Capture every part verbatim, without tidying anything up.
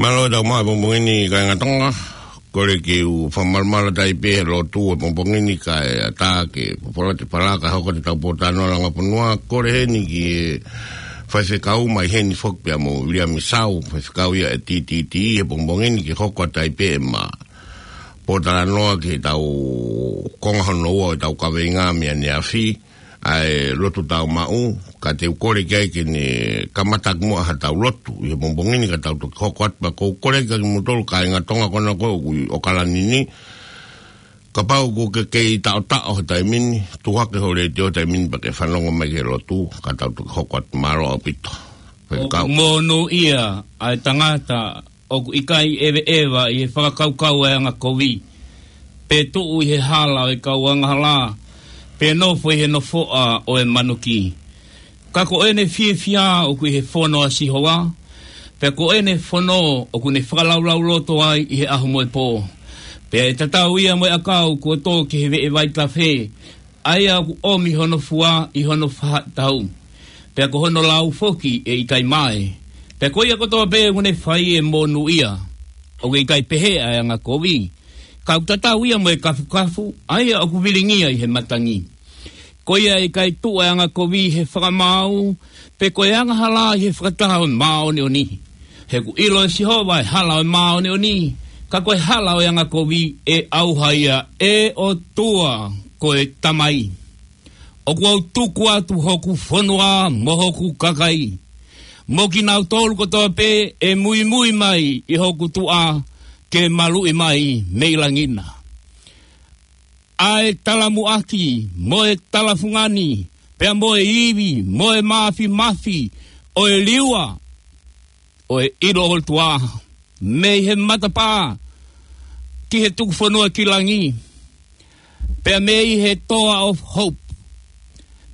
Mālō e tau maʻu he pongipongi ni kāinga Tonga. Kole ke u fakamalumalu atu ai pē he lotu he pongipongi ni kae ʻatā ke popola te palaka hoko te tau pōtalanoa langa fonua. Kole heni ki he faifekau mai heni foki pea mo Viliami Sau, faifekau ia ʻa e T T T he pongipongi ni ke hoko atu ai pē ʻema pōtalanoa ki he tau konga hono ua ʻo e tau kaveinga mei ʻaneafi, ʻa e lotu tau maʻu, ka te u kole ki ai ke ne kamata ʻaki muʻa ha tau lotu ʻi he pongipongi ni ka tau toki hoko atu pea ʻoku ou kole ki ai kimoutolu kāinga Tonga ko ena ʻoku ʻi ʻAokalani ni. Kapau ʻoku ke kei taʻotaʻo he taimi ni, tuʻu hake ho letiō he taimi ni pea ke fanongo mai ki he lotu, ka tau toki hoko atu. Mālō ʻaupito. ʻOku monūʻia ʻa e tangata ʻoku ʻikai ʻeveʻeva ʻi he fakakaukau ʻa e angakovi, pe tuʻu ʻi he hala ʻo e kau angahala, pe nofo ʻi he nofoʻa ʻo e manuki. Ka ko ʻene fiefia ʻoku ʻi he fono ʻa Sihova, pea ko ʻene fono ʻoku ne fakalaulauloto ai ʻi he ʻaho mo e pō. Pea ʻe tatau ia mo e ʻakau kuo tō ki he veʻe vaitafe, ʻa ia ʻoku ʻomi hono fua ʻi hono faʻahitaʻu, pea ko hono lau foki ʻe ʻikai mae. Pea ko ia kotoa pē ʻoku ne fai ʻe monūʻia. ʻOku ʻikai pehē ʻa e angakovi, ka ʻoku tatau ia mo e kafukafu, ʻa ia ʻoku vilingia ʻi he matangi. Ko ia ʻe ʻikai tuʻu ʻa e angakovi ʻi he fakamaau, pe ko e angahala ʻi he fakataha ʻo e māʻoniʻoni. He ʻoku ʻilo ʻe Sihova ʻa e hala ʻo e māʻoniʻoni, ka ko e hala ʻo e angakovi ʻe ʻauha ia. ʻE ʻOtua ko e Tamai, ʻoku ou tuku atu hoku fonua mo hoku kakai, mo kinautolu kotoa pē ʻe muimui mai ʻi hoku tuʻa ke maluʻi mai mei langi na, ʻa e talamuʻaki mo e talafungani, pea mo e ivi mo e mafimafi ʻo e liua ʻo e ʻilo ʻOtua, mei he matapā ki he tuku fonua ki langi, pea mei he Toa of Hope,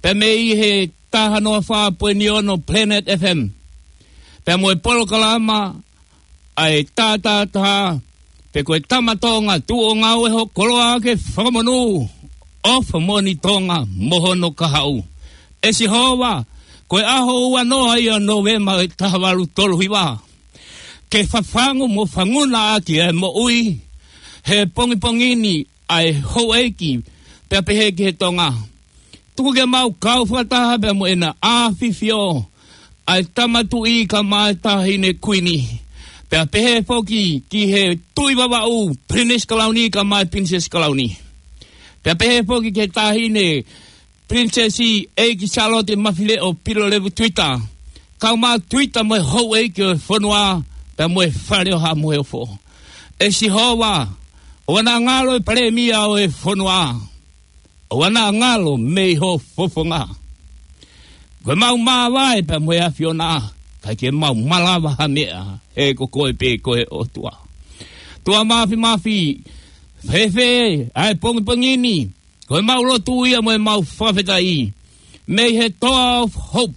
pea mei he taha noa fā poini ono Planet F M, pea mo e polokalama ʻa e Tātātā, pe ko e Tama Tonga, tuʻu ʻo ngāue ho koloa ke fakamonū. ʻOfa moʻoni Tonga mo hono kahaʻu. ʻE Sihova, ko e ʻaho ua noa ia ʻo Nōvema ʻo e taha valu tolu hiva, ke fafangu mo fanguna ʻaki ʻa e moʻui he pongipongi ni ʻa e houʻeiki, pea pehē ki he Tonga. Tuku ke mau kau fakataha pea mo ʻEna ʻAfifio, ʻa e Tama Tuʻi kae ʻumaʻā e Taʻahine Kuini, pea pehē foki ki he Tuʻi Vavaʻu, Pilinisi Kalauni kae ʻumaʻā e Pilinisesi Kalauni, pea pehē foki ki he Taʻahine Pilinisesi ʻEiki Sālote Mafileʻo Pilolevu Tuita, kae ʻumaʻā Tuita mo e houʻeiki ʻo e fonua, pea mo e Fale ʻo Haʻa Moheofo. ʻE Sihova, ʻoua naʻa ngalo e Palēmia ʻo e fonua, ʻoua naʻa ngalo mei ho fofonga. Ko e mau māvae pea mo e ʻAfiona, ʻikai ke mau malava ha meʻa, he ko koe pē ko e ʻOtua. ʻOtua Mafimafi, fēfē ʻa e pongipongi ni, ko e mau lotu ia mo e mau fakafetaʻi mei he Toa of Hope,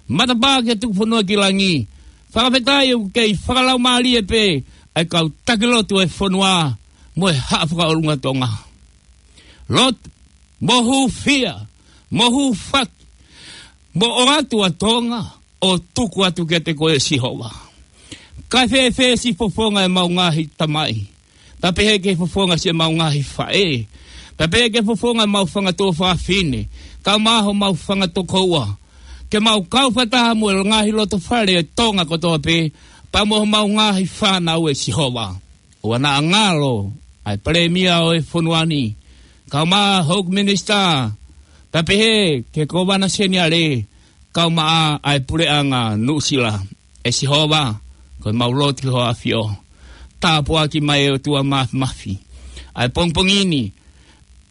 matapā ki he tuku fonua ki langi. Fakafetaʻi ʻoku kei fakalaumālie pē ʻa e kau taki lotu ʻo e fonua mo e Haʻa Fakaʻolunga Tonga. Lotu, mo hūfia, mo hūfaki, mo ʻoatu ʻa Tonga ʻo tuku atu kiate koe ʻe Sihova. Kae fēfē siʻi fofonga ʻemau ngaahi tamai, pea pehē ki he fofonga siʻemau ngaahi faʻē, pea pehē ki he fofonga ʻemau fanga tuofāfine, kae ʻumaʻā homau fanga tokoua, ke mau kau fakataha mo e ngaahi loto fale ʻo Tonga kotoa pē, pea mo homau ngaahi fānau ʻe Sihova. ʻOua naʻa ngalo ʻa e Palēmia ʻo e fonua ni, kae ʻumaʻā hoku minisitā, pea pehē ki he Kōvana Seniale, kae ʻumaʻā ʻa e Puleʻanga Nuʻusila. ʻE Sihova, ko e mau lotu ki ho ʻAfio. Tāpuaki mai ʻe ʻOtua Mafimafi ʻa e pongipongi ni,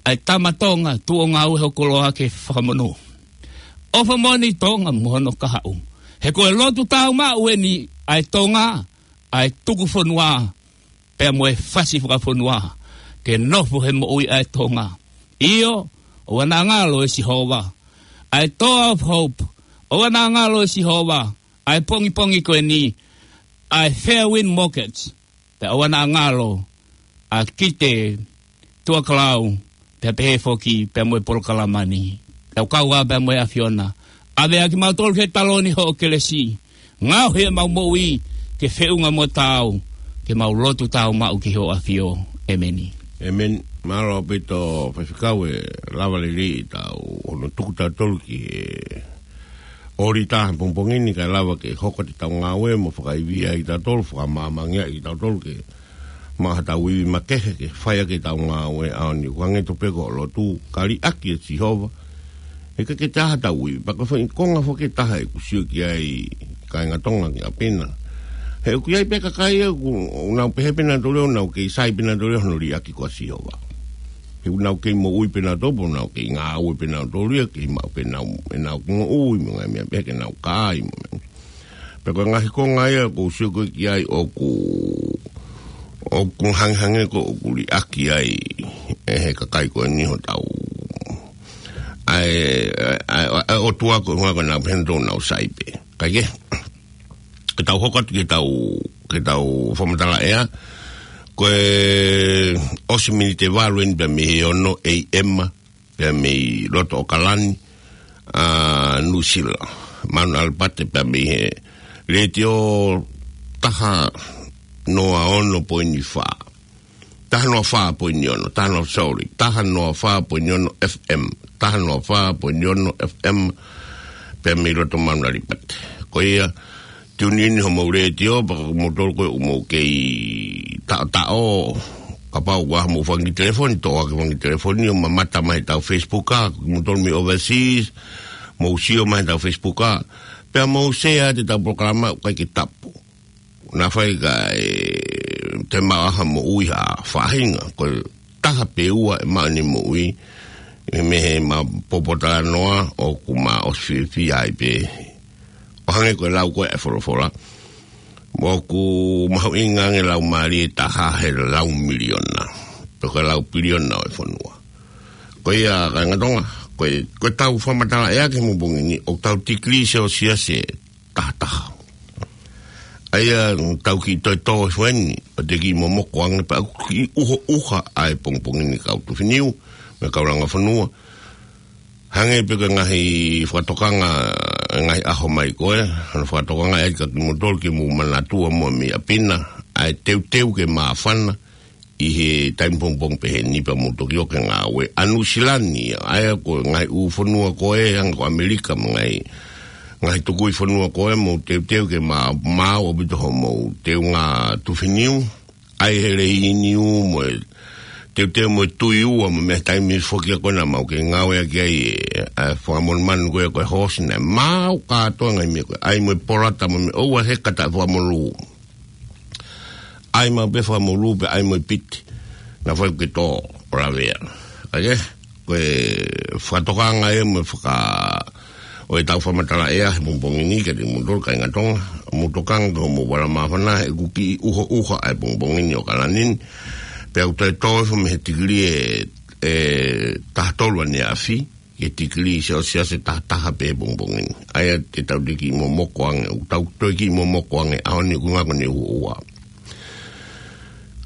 ʻa e Tama Tonga, tuʻu ʻo ngāue ho koloa ke fakamonū. ʻOfa moʻoni Tonga mo hono kahaʻu. He ko e lotu tau maʻu ʻeni ʻa e Tonga, ʻa e tuku fonua, pea mo e fasi fakafonua, ke nofo he moʻui ʻa e Tonga. ʻIo, ʻoua naʻa ngalo ʻe Sihova. ʻA e Toa of Hope, ʻoua naʻa ngalo ʻe Sihova. ʻA e pongipongi ko ʻeni, ʻa e Fairwind Mortgage, pea ʻoua naʻa ngalo ʻa Kite Tuakalau, pea pehē foki pea mo e polokalama ni. Tau kau ā pea mo e ʻAfiona. ʻAve ʻa kimautolu ki he taloni hoʻo kelesi. Ngaohi ʻemau moʻui, ke feʻunga mo taau, ke mau lotu tāumaʻu ki hoʻo ʻAfio. ʻEmeni. ʻEmeni. Mālō ʻaupito Faifekau e lava lelei ʻetau ʻono tuku tautolu ki he ʻōlita he pongipongi ni kae lava ke hoko atu ʻetau ngāue mo fakaivia ai tautolu, fakamāmangia ai tautolu ke maʻu haʻatau ivi makehe ke fai ʻaki ʻetau ngāue ʻaho ni. Kuo hangē tofu pē ko e lotu, ka liʻaki ʻa Sihova, he ʻikai ke taha haʻatau ivi. Pea ko e foʻi konga foki ʻe taha ʻeku sio ki ai kāinga Tonga ki ʻapi na. He ʻoku ʻi ai pē kakai ia ʻoku nau pehē pē nautolu ia ʻoku nau kei sai pē nautolu ia hono liʻaki ko ʻa Sihova. He ʻoku nau kei moʻui pē nautolu, ʻoku nau kei ngāue pē nautolu ia, kei maʻu pē nau, ʻenau kiʻi moʻui mo e ngaahi meʻa pehē, ke nau kai mo e meʻa. Pea ko e ngaahi konga ia ʻoku ou sio ko ē ki ai ʻoku, ʻoku hangehangē ko ē ʻoku liʻaki ai ʻe he kakai ko eni hotau ʻa e, ʻa e, ʻa e, ʻa e ʻOtua ko e ʻuhinga ko ʻenau pehē nautolu ʻoku nau sai pē. Kae kehe, ke tau hoko atu ke tau, ke tau fakamatala ʻea, ko e ʻosi miniti ʻe valu eni pea mei he ono A M, pea mei loto ʻAokalani, ʻa Nuʻusila, Mount Albert, pea mei he letiō taha noa ono poini fā. Taha noa fā poini ono, taha noa, sorry, taha noa fā poini ono F M, taha noa fā poini ono F M, pea mei loto Mount Albert. Ko ia, tune in homou letiō, pea ko kimoutolu ko ē ʻoku mou kei taʻotaʻo, kapau ʻoku ʻi ai homou fanga kiʻi telefoni, toʻo hake fanga kiʻi telefoni ʻo mamata mai heʻetau Facebook, ʻa kimoutolu mei overseas, mou sio mai heʻetau Facebook, pea mou share atu ʻetau polokalama, ʻoku ʻikai ke tapu. Naʻa faifai, te mau ʻai ha moʻui ha faʻahinga, ko e taha pe ua ʻe maʻu ʻene moʻui, ʻi he meʻa ma popo talanoa ʻoku ma ʻosi fiefia ai pē. ʻO hangē ko e lau ko ē ʻa e folofola, ʻoku mahuʻinga ange lau mālie ʻe taha he lau miliona, pe ko e lau piliona ʻo e fonua. Ko ia kāinga Tonga, ko e, ko ʻetau fakamatala ʻea ki he pongipongi ni, ʻoku tau tikilī Selesiasi ʻe taha taha. ʻA ia ʻoku tau kiʻi toe tō hifo eni, ʻo te kiʻi momoko ange pea ʻoku kiʻi ʻuha ʻuha ʻa e pongipongi ni kau Tufiniu, mo e kau Langa Fonua. Hangē pē ko e ngaahi fakatokanga, ngaahi ʻaho mai ko ē, hono fakatokanga ʻe ʻai kia kimoutolu ke mou manatua mo mei ʻapi na, ʻa e teuteu ke māfana, ʻi he taimi pongipongi pehē ni pea mou toki ō ki he ngāue. ʻA Nuʻusila ni, ʻa ia ko e ngaahi ʻū fonua ko ē, hangē ko ʻAmelika mo e ngaahi, ngaahi tukui fonua ko ē, mou teuteu ke ma-, maau ʻaupito homou teunga Tufiniu, ʻai he leiniu mo e teuteu mo e tui ua mo e meʻa, taimi foki ko ē naʻa mau kei ngāueʻaki ai e, ʻa e fakamonumanu ko ē ko e hoosi naʻe maau kātoa e ngaahi meʻa ko ē, ʻai mo e polata mo e meʻa, ʻoua ʻe heka taʻe fakamolū. ʻAi maʻu pē fakamolū pea ʻai mo e piti. Naʻa faifai ke tō ʻo lavea. ʻA ia, ko e fakatokanga ē mo e faka-, ʻo ʻetau fakamatala ʻea he pongipongi ni kiate kimoutolu kāinga Tonga. Mou tokanga ki hoʻomou vala māfana, he ʻoku kiʻi ʻuha ʻuha ʻa e pongipongi ni ʻo ʻAokalani ni. Pea ʻoku toe tō hifo mei he tikilī ʻe, ʻe taha tolu ʻaneafi ki he tikilī Selesiasi ʻe taha taha pē he pongipongi ni. ʻA ia te tau toe kiʻi momoko ange, ʻoku tau toe kiʻi momoko ange ʻaho ni, ʻoku ʻuhinga ko ʻene ʻuha ʻuha.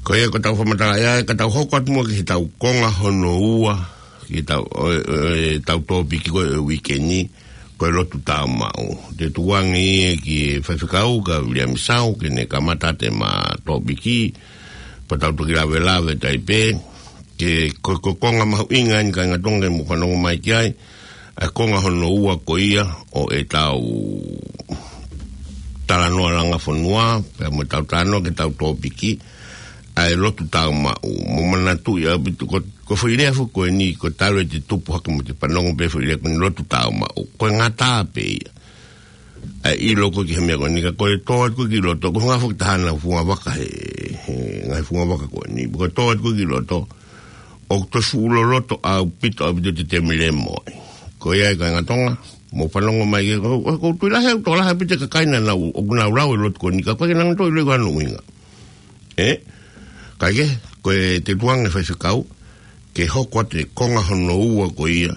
Ko ia ko ʻetau fakamatala ʻea, ka tau hoko atu muʻa ki heʻetau konga hono ua, ki heʻetau, ʻo, ʻo, ʻetau tōpiki ko ē ʻo e uike ni, ko e lotu tāumaʻu. Te u tuku ange ia ki he faifekau ko Viliami Sau, ke ne kamata atu ʻema tōpiki, pea tau toki lavelave atu ai pē, ke ko, ko e konga mahuʻinga eni kāinga Tonga ke mou fanongo mai ki ai, ʻa e konga hono ua ko ia ʻo ʻetau talanoa Langa Fonua, pea mo ʻetau talanoa ki heʻetau tōpiki, ʻa e lotu tāumaʻu. Mou manatuʻi ʻaupito, ko, ko e foʻi lea foki ko eni, ko e talu ʻete tupu hake mo te fanongo pē foʻi lea ko eni lotu tāumaʻu. Ko e ngata pē ia. ʻA e ʻilo ko ē ki he meʻa ko eni, ka ko e tō atu ko ē ki loto, ko e ngaahi foki taha naʻa fungavaka he, he ngaahi fungavaka ko eni. Ko e tō atu ko ē ki loto, ʻoku toe fuʻu loloto ʻaupito, ʻaupito ʻete temi lemo ai. Ko ia ai kāinga Tonga, mou fanongo mai ke, ko, ko, ko e tui lahi, ʻoku tokolahi ʻaupito e kakai naʻa nau, ʻoku nau lau e lotu ko eni, ka ko e ke nang toi loi ko hono ʻuhinga. Ē? Kae kehe, ko e te u tuku ange faifekau, ke hoko atu e konga hono ua ko ia,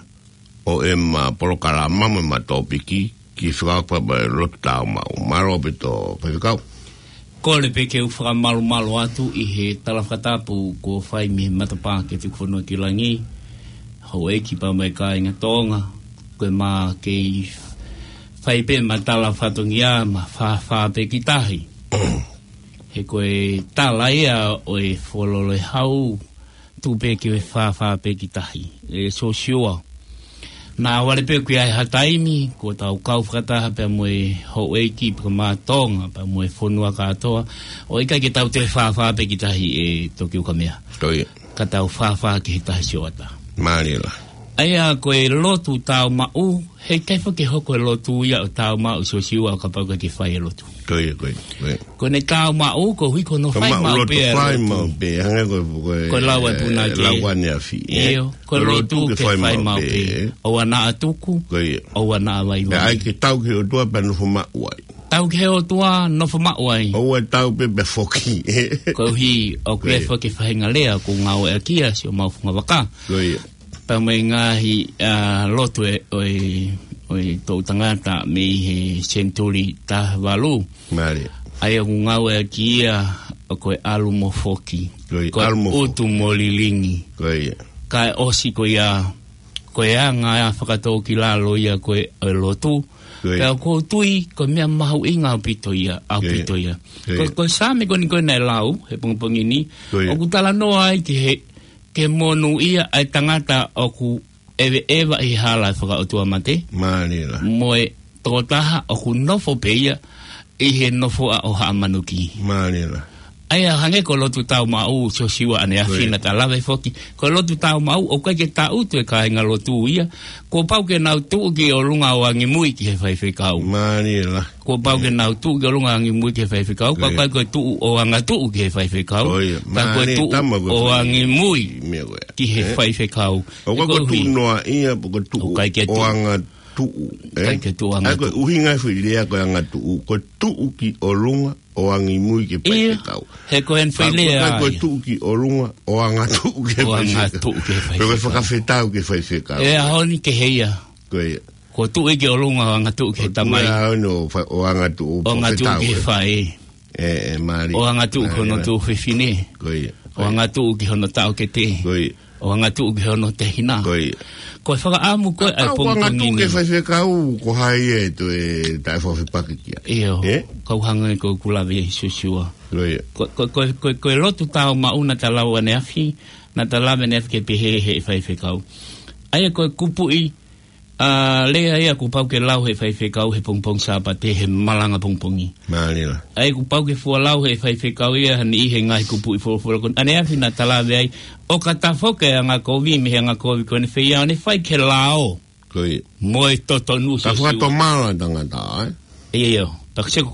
ʻo ʻema polokalama mo ʻema tōpiki, ki he fekauʻaki pea mo e lotu tāumaʻu. Mālō ʻaupito faifekau. Kole pē ke u fakamalumalu atu ʻi he tala fakatapu kuo fai mei he matapā ki he Tuku Fonua ki Langi, houʻeiki pea mo e kāinga Tonga, ko ʻema kei fai pē ʻema tala fatongia, ma fāfā pē ki tahi. He ko e tala ia ʻo e Fuoloa ʻa e Hau, tuku pē ke fāfā pē ki tahi. ʻE Siosiua, naʻa vale pē ʻoku ʻi ai ha taimi, kuo tau kau fakataha pea mo e houʻeiki pea mo Tonga, pea mo e fonua kātoa, ʻo ʻikai ke tau toe fāfā pē ki tahi ʻe Tokiokamea. Ko ia. Ka tau fāfā ki he tahi sioʻata. Mālie lahi. ʻA ia ko e lotu tāumaʻu, heʻikai foki ke hoko e lotu ia ʻo tāumaʻu Siosiua ʻo kapau ʻoku ʻikai ke fai e lotu. Ko ia, ko ia, ko ia. Ko ʻene tāumaʻu, koeʻuhi ko hono fai maʻu pē e lotu. Fai maʻu pē, hangē ko e, ko e, ko e lau ʻa e, eh, punake. Lau ʻaneafi, eh? ʻIo, ko e lotu ke fai maʻu pē, eh? ʻOua naʻa tuku, ko ia, ʻoua naʻa vaivai. Pea ʻai ke tau ki he ʻOtua pea nofo maʻu ai. Tau ki he ʻOtua, nofo maʻu ai. ʻOua tau pē pea foki. Koeʻuhi, ʻoku ʻi ai, ko ia, foki e faʻahinga lea ʻoku ngāueʻaki ia ʻi siʻomau fungavaka. Ko ia. Pea mo e ngaahi, ā, lotu ʻe, ʻo e, ʻo e toʻutangata mei he senituli taha valu. Mālie. ʻA ia ʻoku ngāueʻaki ia ʻo ko e ʻalu mo foki. Ko ia, ko e ʻalu mo foki. Utu mo lilingi. Ko ia. Kae ʻosi ko ia, ko e anga ia fakatōkilalo ia ko e, ʻo e lotu. Ko ia. Pea ʻoku ou tui, ko e meʻa mahuʻinga ʻaupito ia, ʻaupito ia. Ko ia. Ko, ko e Saame ko eni ko ē naʻe lau, he pongipongi ni. Ko ia. ʻOku talanoa ai ki he, ke monūʻia ʻa e tangata ʻoku ʻeveʻeva ʻi he hala ʻo e fakaʻotuamate. Mālie lahi. Mo e tokotaha ʻoku nofo pē ia ʻi he nofoʻa ʻo haʻa manuki. Mālie lahi. ʻA ia hangē ko e lotu tāumaʻu Siosiua ʻaneafi, ko ia, naʻa ta lave foki. Ko e lotu tāumaʻu, ʻoku ʻikai ke tangutu e kāingalotu ia. Kuo pau ke nau tuʻu ki ʻolunga ʻo angimui ki he faifekau. Mālie lahi. Kuo pau ke, ē, nau tuʻu ki ʻolunga angimui ki he faifekau, ko ia, ka ʻoku ʻikai ko e tuʻu ʻo angatuʻu ki he faifekau. Ko ia. Ka ko e, mālie, tuʻu tama ko e ʻo fai angimui meʻa ko ia, ki he, ē, faifekau. ʻOku ʻikai ko e tuʻu noaʻia, pe ko e tuʻu, ʻoku ʻikai ke tuʻu, ʻo angatuʻu, ē? ʻIkai ke tuʻu ʻa ia ko e angatuʻu. ʻUhinga e foʻi lea ko e angatuʻu, ko e tuʻu ki ʻolunga ʻo angimui ki he, ʻio, faifekau. He ko eni foʻi lea ia. Ka ʻoku ʻikai ko e tuʻu ki ʻolunga ʻo angatuʻu ki he, ʻo faifekau, angatuʻu ki he faifekau. Pe ko e fakafetau ki he faifekau. ʻE ʻaho ni kehe ia. Ko ia. Ko e tuʻu ia ki ʻolunga ʻo angatuʻu ki he tamai. Ko e tuʻu ia ʻo fa-, ʻo angatuʻu, ʻo angatuʻu fakafetau ki he, ē, faʻē. ʻE, ʻe, mālie. ʻO angatuʻu ki hono, mālie, tuofefine. Ko ia. Ko ia. ʻO angatuʻu ki hono taʻokete. Ko ia. ʻO angatuʻu ki hono tehina. Ko ia. Ko e fakaʻamu ko ē ʻa e, ka ʻoku pongipongi angatuʻu ki he, ē, faifekau, ko hai ʻe toe taʻefefepakipakiʻi ia? ʻIo. Ē? Kau hangē ko ʻeku lave ʻia Siosiua. Ko ia. Ko, ko, ko, ko, ko e lotu tāumaʻu naʻa ta lau ʻaneafi, naʻa ta lave ʻaneafi ke pehē ʻe he faifekau. ʻA ia ko e kupuʻi, ā, lea ia kuo pau ke lau ʻe he faifekau he pongipongi Sāpate he malanga pongipongi. Mālie lahi. ʻA ia kuo pau ke fua lau ʻe he faifekau ia ha niʻihi he ngaahi kupuʻi folofola ko ē ʻaneafi naʻa ta lave ai. ʻOka tafoki e angakovi mei he angakovi ko eni feiā ʻo ne fai ki he lao. Ko ia. Mo e totonu. Ta Siosiua. Fakatomala tangata, ē? ʻIo, ʻio. Pea ko e sio,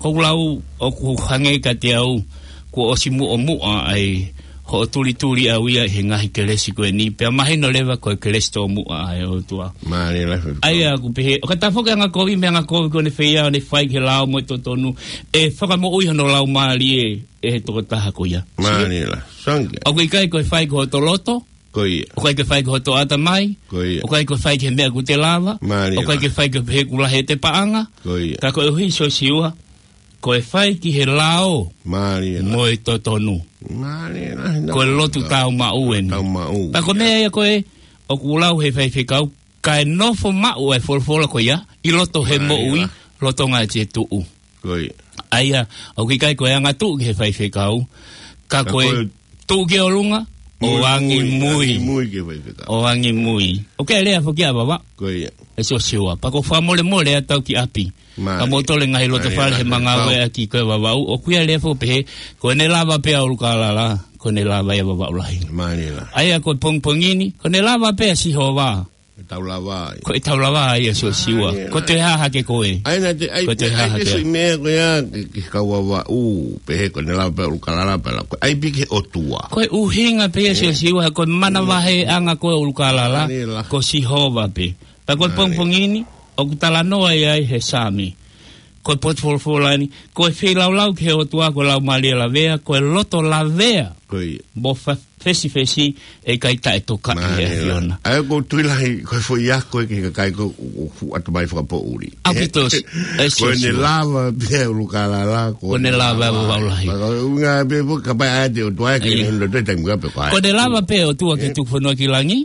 ko ʻeku lau ʻoku hangē kiate au, kuo ʻosi muʻomuʻa ʻa e hoʻo tulituli ʻau ia he ngaahi kelesi ko eni, pea mahino leva ko e kelesi tōmuʻa ʻa e ʻOtua. Mālie lahi. ʻA ia ʻoku pehē, ʻoka tafoki e angakovi mei he angakovi ko eni feiā ʻo ne fai ki he lao mo e totonu, ʻe fakamoʻui hono laumālie ʻe he tokotaha ko ia. Mālie lahi. Sangke. ʻOku ʻikai ko e fai ki hoto loto, ko ia, ʻoku ʻikai ke fai ki hoto ʻatamai. Ko ia. ʻOku ʻikai ko e fai ki he meʻa ʻoku te lava. Mālie lahi. ʻOku ʻikai ke fai ki he pehē ʻoku lahi ʻete paʻanga. Ko ia. Ka koeʻuhi Siosiua, ko e fai ki he lao, mālie lahi, mo e totonu. Mālie lahi, ko e lotu tāumaʻu eni. Tāumaʻu. Ka ko e meʻa ia ko ē ʻoku lau ʻe he faifekau, kae nofo maʻu e folofola ko ia ʻi loto he, mālie lahi, moʻui, lolotonga ʻete tuʻu. Ko ia. ʻA ia, ʻoku ʻikai ko e angatuʻu ki he faifekau, ka ko e, ka ko e tuʻu ki ʻolunga ʻo, ʻo angimui, angimui ki he faifekau. ʻO angimui. ʻOku ʻi ai e lea foki ʻa Vavaʻu. Ko ia. ʻE Siosiua. Pea ʻoku ou fakamolemole atu au ki ʻapi. Mālie. Ka mou tole ngaahi loto, mālie, fale he, mālie, mangau ʻe ʻaki ko e Vavaʻu. ʻOku ʻi ai e lea foki pehē, ko ʻene lava pē ʻa ʻUlukalala, ko ʻene lava ia ʻa Vavaʻu lahi. Mālie lahi. ʻA ia ko e pongipongi ni, ko ʻene lava pē ʻa Sihova. Ko e tau lava ia. Ko e tau lava ia Siosiua. Ai, ko e toe hā hake ko ē. Ai, naʻa te, ai, ko e toe hā hake. Ai, ke sui meʻa ko ia, ke, ke kau Vavaʻu, pehē ko ʻene lava pē ʻa ʻUlukalala pea lava. Ko e ʻai pē ki he ʻOtua. Ko e ʻuhinga pē ia, ē, Siosiua, ko e manavahēʻanga ko ē ʻo ʻUlukalala, mālie lahi, ko Sihova pē. Pea ko e, mālie, pongipongi ni, ʻoku talanoa ai ʻa e Saame. Ko e potu folofola ni, ko e feilaulau ki he ʻOtua, ko e laumālie lavea, ko e loto lavea. Ko ia. Mo fa-, fesifesi, ʻe ʻikai taʻetokaʻi ʻe he ʻAfiona. ʻA ia ko e tui lahi, ko e foʻi ako ē ki he kakai ko ē ʻoku fuʻu ʻatamai fakapoʻuli. ʻAupito, ē, ʻe Sōsiua. Ko ʻene lava pē ʻa ʻUlukālala, ko ʻene lava ʻa Vavaʻu Lahi. Ko e ʻuhinga pē foki kapau ʻe ʻai ʻe he ʻOtua ke ne loto e taimi ka pē ko ē. Ko ʻene lava pē ʻOtua ke tuku fonua ki langi.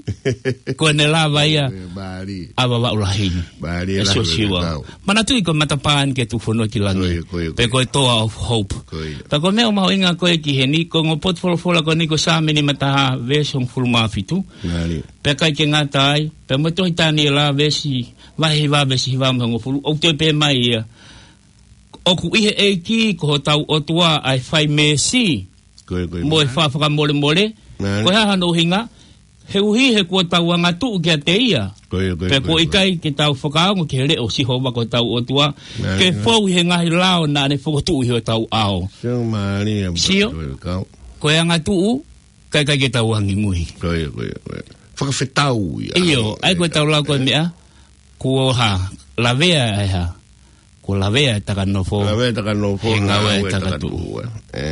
Ko ʻene lava ia ʻa Vavaʻu Lahi. ʻE Sōsiua. Manatuʻi ko e matapā eni ke tuku fonua ki langi. Ko ia, ko ia, ko ia. Pe ko e Toa of Hope. Ko ia. Pea ko e meʻa ʻoku mahuʻinga ko ē ki heni, ko e ongo potu folofola ko eni ko Saame nimataha veesi hongofulu mā fitu. Pea ʻikai ke ngata ai, pea mo e tohi Taniela veesi, vahe hiva veesi hiva mo e hongofulu, ʻoku toe pehē mai ia: ʻOku ʻi he ʻEiki ko hotau ʻOtua ʻa e fai meesi. Ko ia, ko ia. Mo e fai fakamolemole. Ko e hā hono ʻuhinga? He ʻuhi he kuo tau angatuʻu kiate ia. Ko ia, ko ia, ko ia. Pea kuo ʻikai ke tau fakaongo ki he leʻo ʻo Sihova ko hotau ʻOtua, ke fou ʻi he ngaahi lao naʻa ne fokotuʻu ʻi hotau ʻao. Sio. Ko e angatuʻu, ʻikai, ʻikai ke tau angimui. Ko ia, ko ia, ko ia. Fakafetau ia. ʻIo, ʻa ia ko e tau lau ko e meʻa, kuo hā, lavea ʻa e hā. Kuo lavea ʻa e takanofo. Lavea ʻa e takanofo, he ngāue ʻa e takatuʻu. Ē,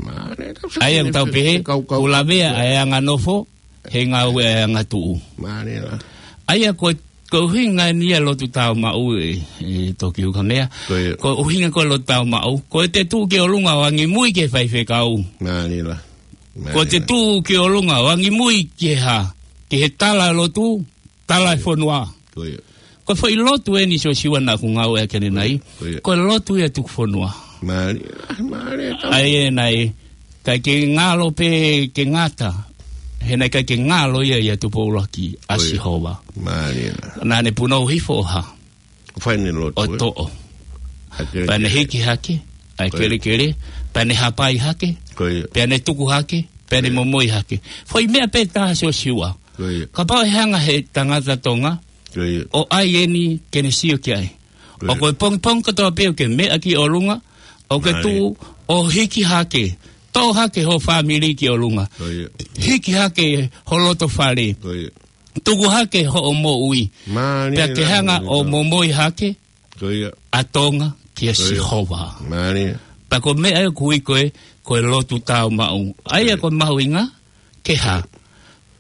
mālie, ʻa ia ʻoku tau pehē, kuo lavea ʻa e anganofo, he ngāue ʻa e angatuʻu. Mālie lā. ʻA ia ko, ko e ʻuhinga eni ʻa e lotu tāumaʻu ē, ē Tokioka Mea. Ko ia. Ko e ʻuhinga ko e lotu tāumaʻu. Ko ʻete tuʻu ki ʻolunga ʻo angimui ki he faifekau. Mālie lā. Ko ʻete tuʻu ki ʻolunga ʻo angimui ki he hā, ki he tala lotu, tala e fonua. Ko ia. Ko e foʻi lotu eni Sōsiua naʻa ku ngāueʻaki ʻanenai. Ko ia. Ko e lotu ia tuku fonua. Mālie, mālie, tau. ʻA ia naʻe ʻikai ke ngalo pē ke ngata. He naʻe ʻikai ke ngalo ia ʻia Tupou ʻUluaki ʻa Sihova. Mālie. Naʻa ne punou hifo ʻo hā. Fai ʻene lotu, ē? ʻO toʻo. Pea ne hiki hake ʻa e kelekele. Pea ne hapai hake. Ko ia. Pea ne tuku hake. Pea ne momoi hake. Foʻi meʻa pē taha Sōsiua. Ko ia. Kapau ʻe hanga he tangata Tonga, ko ia, ʻo ʻai eni ke ne sio ki ai. Ko ia. ʻOku pongipongi kotoa pē ʻoku ke meʻa ki ʻolunga, ʻoku ke tuʻu ʻo hiki hake. Toʻo hake ho fāmili ki ʻolunga. Ko ia. Hiki hake ho loto fale. Ko ia. Tuku hake hoʻo moʻui. Mālie. Pea ke hanga ʻo momoi hake. Ko ia. ʻA Tonga kia Sihova. Mālie. Pea ko e meʻa ē ʻoku ui ko e, ko e lotu tāumaʻu. ʻA ia ko e mahuʻinga, ke hā.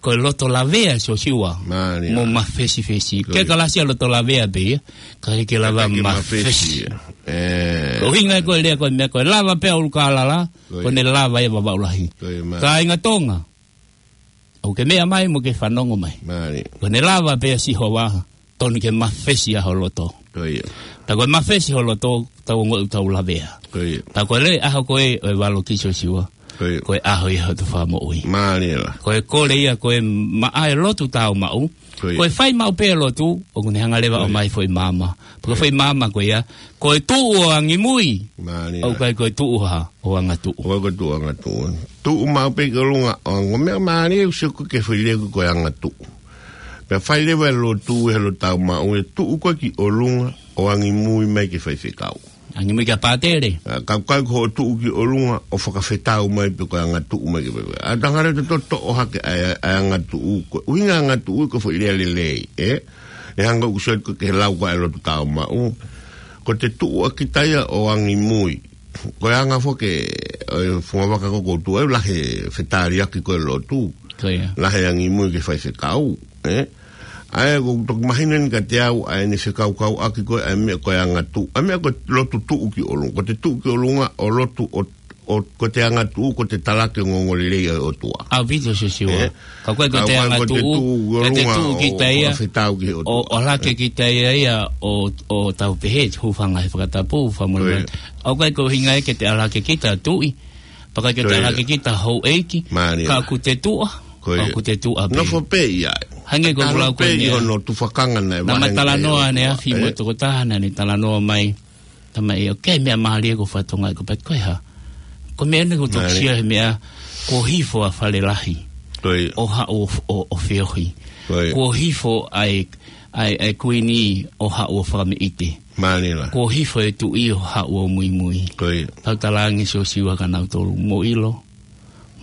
Ko e loto lavea Sōsiua. Mālie. Mo mafesifesi. Ko ia. Ke kalasi ʻa loto lavea pē ia. Ka ke lava mafesi. Ē. Ko e ʻuhinga ko e lea ko e meʻa ko e lava pē ʻa ʻUlukālala. Ko ia. Ko ʻene lava ia Vavaʻu Lahi. Ko ia, mālie. Kāinga Tonga. ʻOku ke meʻa mai mo ke fanongo mai. Mālie. Ko ʻene lava pē ʻa Sihova, tonu ke mafesi ʻa ho loto. Ko ia. Pea ko e mafesi ho loto, tau ongoʻi ʻoku tau lavea. Ko ia. Pea ko e lele ʻaho ko ē ʻo e valokiʻi Sōsiua. Ko ia. Ko e ʻaho ia hoto fakamoʻui. Mālie lā. Ko e kole ia, ko e maʻa e lotu tāumaʻu. Ko ia. Ko e fai maʻu pē lotu, ʻoku ne hanga leva ʻo ʻomai foʻi maama. Pea ko e foʻi maama ko ia, ko e tuʻu ʻo angimui. Mālie. ʻOku ʻikai ko e tuʻu hā, ʻo angatuʻu. ʻOku ʻikai ko e tuʻu ʻo angatuʻu. Tuʻu maʻu pē ki ʻolunga ʻo ango. Meʻa mālie ʻoku sio ko ē ki he foʻi lea ko e ko e angatuʻu. Pea fai leva e lotu he lotu tāumaʻu ʻe tuʻu ko ē ki ʻolunga ʻo angimui mai ki he faifekau. Angimui kia pātele. ʻA, ka ʻikai ko hoʻo tuʻu ki ʻolunga ʻo fakafetau mai pe ko e angatuʻu mai ki he faifekau. ʻA, tangata te toʻo hake ʻa e, ʻa e angatuʻu. Ko e ʻuhinga angatuʻu ko e foʻi lea lelei, ē? ʻE hanga ʻoku sio ko ē ki he lau ko ē ʻa e lotu tāumaʻu. Ko ʻete tuʻu ʻa kita ia ʻo angimui. Ko e anga foki ʻo e fungavaka ko ē ʻoku tuʻu ai lahi e fetaliaki ko ē lotu. Ko ia. Lahi e angimui ki he faifekau, ē? ʻA ia ʻoku toki mahino eni kiate au ʻa ʻene fekaukauʻaki ko ē ʻa e meʻa ko e angatuʻu. ʻA e meʻa ko e lotu tuʻu ki ʻolunga. Ko ʻete tuʻu ki ʻolunga ʻo lotu ʻo ʻo, ko ʻete angatuʻu, ko ʻete talaki e ongoongolelei ʻa e ʻOtua. ʻAupito Sōsiua. Ē? Ka ʻoku ʻikai ko ʻete angatuʻu, ko ʻete tuʻu kita ia, ʻo, ʻo lake kita ia ia, ʻo, ʻo tau pehē, hūfanga he fakatapu, fakamolemole. Ko ia. ʻOku ʻikai ko e ʻuhinga ia ke te alake kita tuʻi. Pea ʻikai ke te alake kita houʻeiki. Mālie. Ka ʻoku te tuʻa, ʻoku te tuʻa pē. Nofo pē ia. Hangē ko e lau ko ē ʻi hono tufakanga naʻe vaheni. Naʻá ma talanoa ʻaneafi mo e tokotaha naʻá ne talanoa mai. Tamaiki, ʻoku ʻi ai e meʻa mālie ko e fatongia ko e pati ko e hā. Ko e meʻa eni ʻoku toki sio he meʻa kuo hifo ʻa Falelahi. Ko ia. ʻO haʻu ʻo, ʻo, ʻo feohi. Ko ia. Kuo hifo ʻa e, ʻa e, ʻa e kuini ʻo haʻu ʻo fakameʻite. Mālie lā. Kuo hifo e tuʻi ʻo haʻu ʻo muimui. Ko ia. Tau talaange Sōsiua kia nautolu mo ʻilo.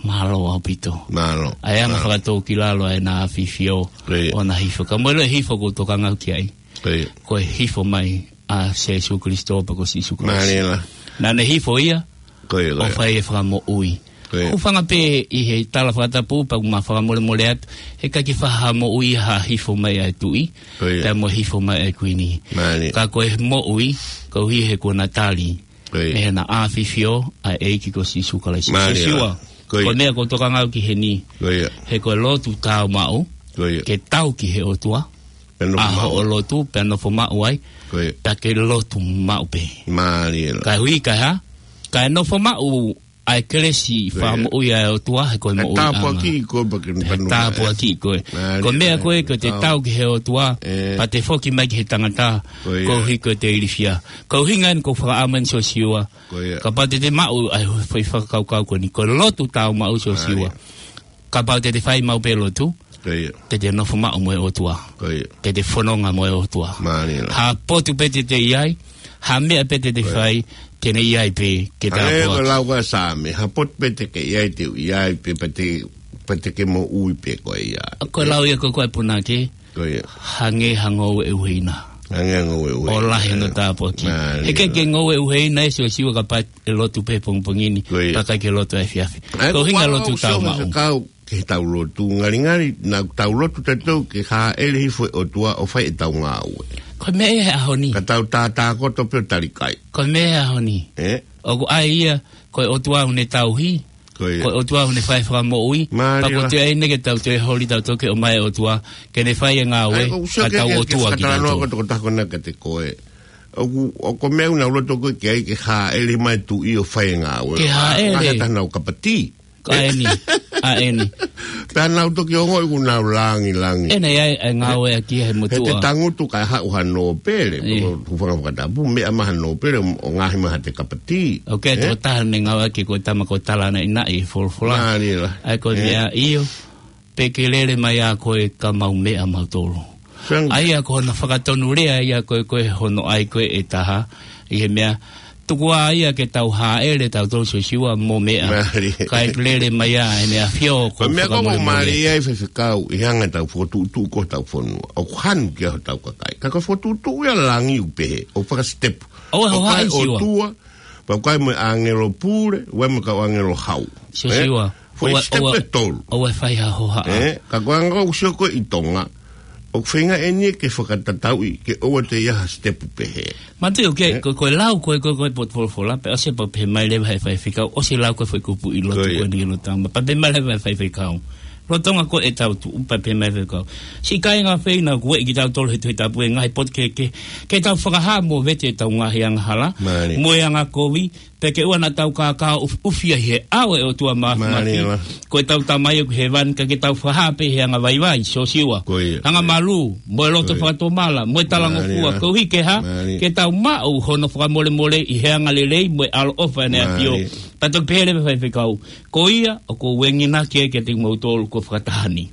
Mālō ʻaupito. Mālō. ʻA e anga fakatōkilalo ʻa ʻEna ʻAfifio. Ko ia. ʻOna hifo. Ka mo e lau hifo ʻoku ou tokanga au ki ai. Ko ia. Ko e hifo mai ʻa Sīsū Kalaisi pea ko Sīsū Kalaisi. Mālie lā. Naʻá ne hifo ia, ko ia, ko ia, ʻo fai e fakamoʻui. Ko ia. Hūfanga pē ʻi he tala fakatapu pea ʻoku ma fakamolemole atu. He ʻikai ke faʻa moʻui ha hifo mai ʻa e tuʻi. Ko ia. Pea mo hifo mai ʻa e kuini. Mālie. Ka ko e moʻui, koeʻuhi he kuo na tali. Ko ia. Mei heʻena ʻafifio ʻa e ʻEiki ko Sīsū Kalaisi. Mālie. Sīsū ā. Ko ia. Ko e meʻa ʻoku ou tokanga au ki heni. Ko ia. He ko e lotu tāumaʻu. Ko ia. Ke tau ki he ʻOtua. Pea nofo ʻa maʻu. Hoʻo lotu, pea nofo maʻu ai. Ko ia. Pea ke lotu maʻu pē. Mālie. Kae ui, kae hā? Kae nofo maʻu ʻa e kelesi. Ko ia. Fakamoʻui ʻa e ʻOtua, he ko e moʻui ʻanga. Tāpuakiʻi koe pea ke. He tāpuakiʻi koe. Mālie. Ko e meʻa ko ē, ko e te tau ki he ʻOtua, ē. Pea te foki mai ki he tangata, ko ia. Koeʻuhi ko e te ilifia. Ko e ʻuhinga eni ʻoku ou fakaʻamu eni Siosiua. Ko ia. Kapau te te maʻu ʻa e foʻi fakakaukau ko eni, ko e lotu tāumaʻu Siosiua. Mālie. Kapau te te fai maʻu pē lotu, ko ia. Te te nofo maʻu mo e ʻOtua. Ko ia. Te te fononga mo e ʻOtua. Mālie. Ha potu pē te te ʻi ai, ha meʻa pē te te fai, te ne ʻi ai pē ke tāpuakiʻi. Ko ia. Hangē ko e lau ko ē ʻa e Saame, ha potu pē te ke ʻi ai te u ʻi ai pē, pea te, pea te ke moʻui pē koe ia. Ko e lau ia ko ē ʻa e punake, ko ia. Hangē ha ngoue ʻuheina. Hangē ha ngoue ʻuheina. ʻO lahi hono tāpuaki. Mālie. He ʻikai ke ngoue ʻuheina ʻe Siosiua kapau ʻe lotu pē pongipongi ni, ko ia. Pea ʻikai ke lotu ʻa e efiafi. Ē, ko e ʻuhinga ʻoku ou lotu sio tāumaʻu. He kau ke he tau lotu, ngalingali, naʻa tau lotu tautolu ke hāʻele hifo e ʻOtua ʻo fai ʻetau ngāue. Ko e meʻa ia he ʻaho ni. Ka tau tātākoto pē ʻo tali kai. Ko e meʻa ia he ʻaho ni. Ē? ʻOku ʻai ia, ko e ʻOtua ʻoku ne tauhi. Ko ia. Ko e ʻOtua ʻoku ne fai fakamoʻui. Mālie. Pea ko e toe ʻai eni ke tau toe holi tautolu ke ʻomai e ʻOtua, ke ne fai e ngāue, ʻa ia ʻoku ou sio ka ke, tau ke, ke ʻOtua fakatala noa kitautolu. Ko e tokotaha ko ena kiate koe. ʻOku, ʻoku meʻa ʻoku nau loto ko ē ke ʻai ke hāʻele mai e tuʻi ʻo fai e ngāue. Ke hāʻele. Ngaahi ʻatā nau kapati. Ka eni, ʻa eni. Pea nau toki ongoʻi ʻoku nau langilangi. ʻE, naʻe ʻi ai e ngāueʻaki he motuʻa. He te tangutu kae haʻu ha nōpele, ē. Ko e hūfanga fakatapu, meʻa mai ha nōpele, ʻo ngaohi mai ha te kapati. ʻOku ʻi ai e tokotaha naʻe ngāueʻaki ko e tama ko Talanaʻinaʻi he folofola. Mālie. ʻA ia ko e meʻa ʻio, pe ke lele mai ā koe ka mau meʻa mautolu. Sang- ʻA ia ko hono fakatonu lea ia ko ē, ko ē hono ʻai ko ē e taha, ʻi he meʻa, tuku ā ia ke tau hāʻele tautolu Siosiua mo meʻa. Mālie. Kae lele mai ā ʻEne ʻAfio ko e meʻa ko ē ʻoku mau fakamolemole. Mālie ai Faifekau, ʻi he anga ʻetau fokotuʻutuʻu ko ē hotau fonua. ʻOku hanu ki ai hotau kakai. Ka ko e fokotuʻutuʻu ia langi ʻoku pehē, ʻoku fakasitepu. ʻOua ʻe hohaʻa ʻi Siua. ʻOku ʻi ai e ʻOtua, pea ʻoku ʻi ai mo e ʻāngelo pule, ʻoku ʻi ai mo e kau ʻāngelo hau. Siosiua. Ē? Foʻi step ʻe tolu. ʻOua ʻe fai ha hohaʻa. Ē? Ka ko e anga ʻoku ou sio ko ē ʻi Tonga, ʻoku feinga eni ke fakatatauʻi, ke ʻoua te ʻi ai ha step pehē. Mātuʻaki, ē? Ko, ko e lau ko ē, ko, ko e potu folofola, pea ʻosi pea pehē mai leva ʻe he faifekau, ʻosi lau ko ē foʻi kupuʻi lotu ko ia. Ko eni ki he lotu tāumaʻu, pea pehē mai leva ʻe he faifekau. Lolotonga ko ē ʻetau tuʻu, pea pehē mai ʻe he faifekau. Siʻi kāinga ʻofeina, ʻoku ueʻi kitautolu he Tohi Tapu ʻe he ngaahi potu kehekehe, ke tau fakahā mo vete ʻetau ngaahi angahala, mālie, mo e angakovi, pea ke ʻoua naʻa tau kākā ʻufi, ʻufi ai he ʻao ʻo e ʻOtua Māfimafi. Mālie lā. Ko ʻetau Tamai ʻoku ʻi hēvani, ka ke tau fakahā pē he angavaivai, Siosiua. Ko ia. Angamalū, mo e loto, ko ia, fakatomala, mo e talangofua, mālie lā, koeʻuhi ke hā? Mālie. Ke tau maʻu hono fakamolemole ʻi he angalelei mo e ʻaloʻofa ʻEne ʻAfio. Mālie. Pea toki pehē leva ʻe he faifekau, ko ia ʻoku ou enginaki ai kiate kimoutolu ko e fakataha ni.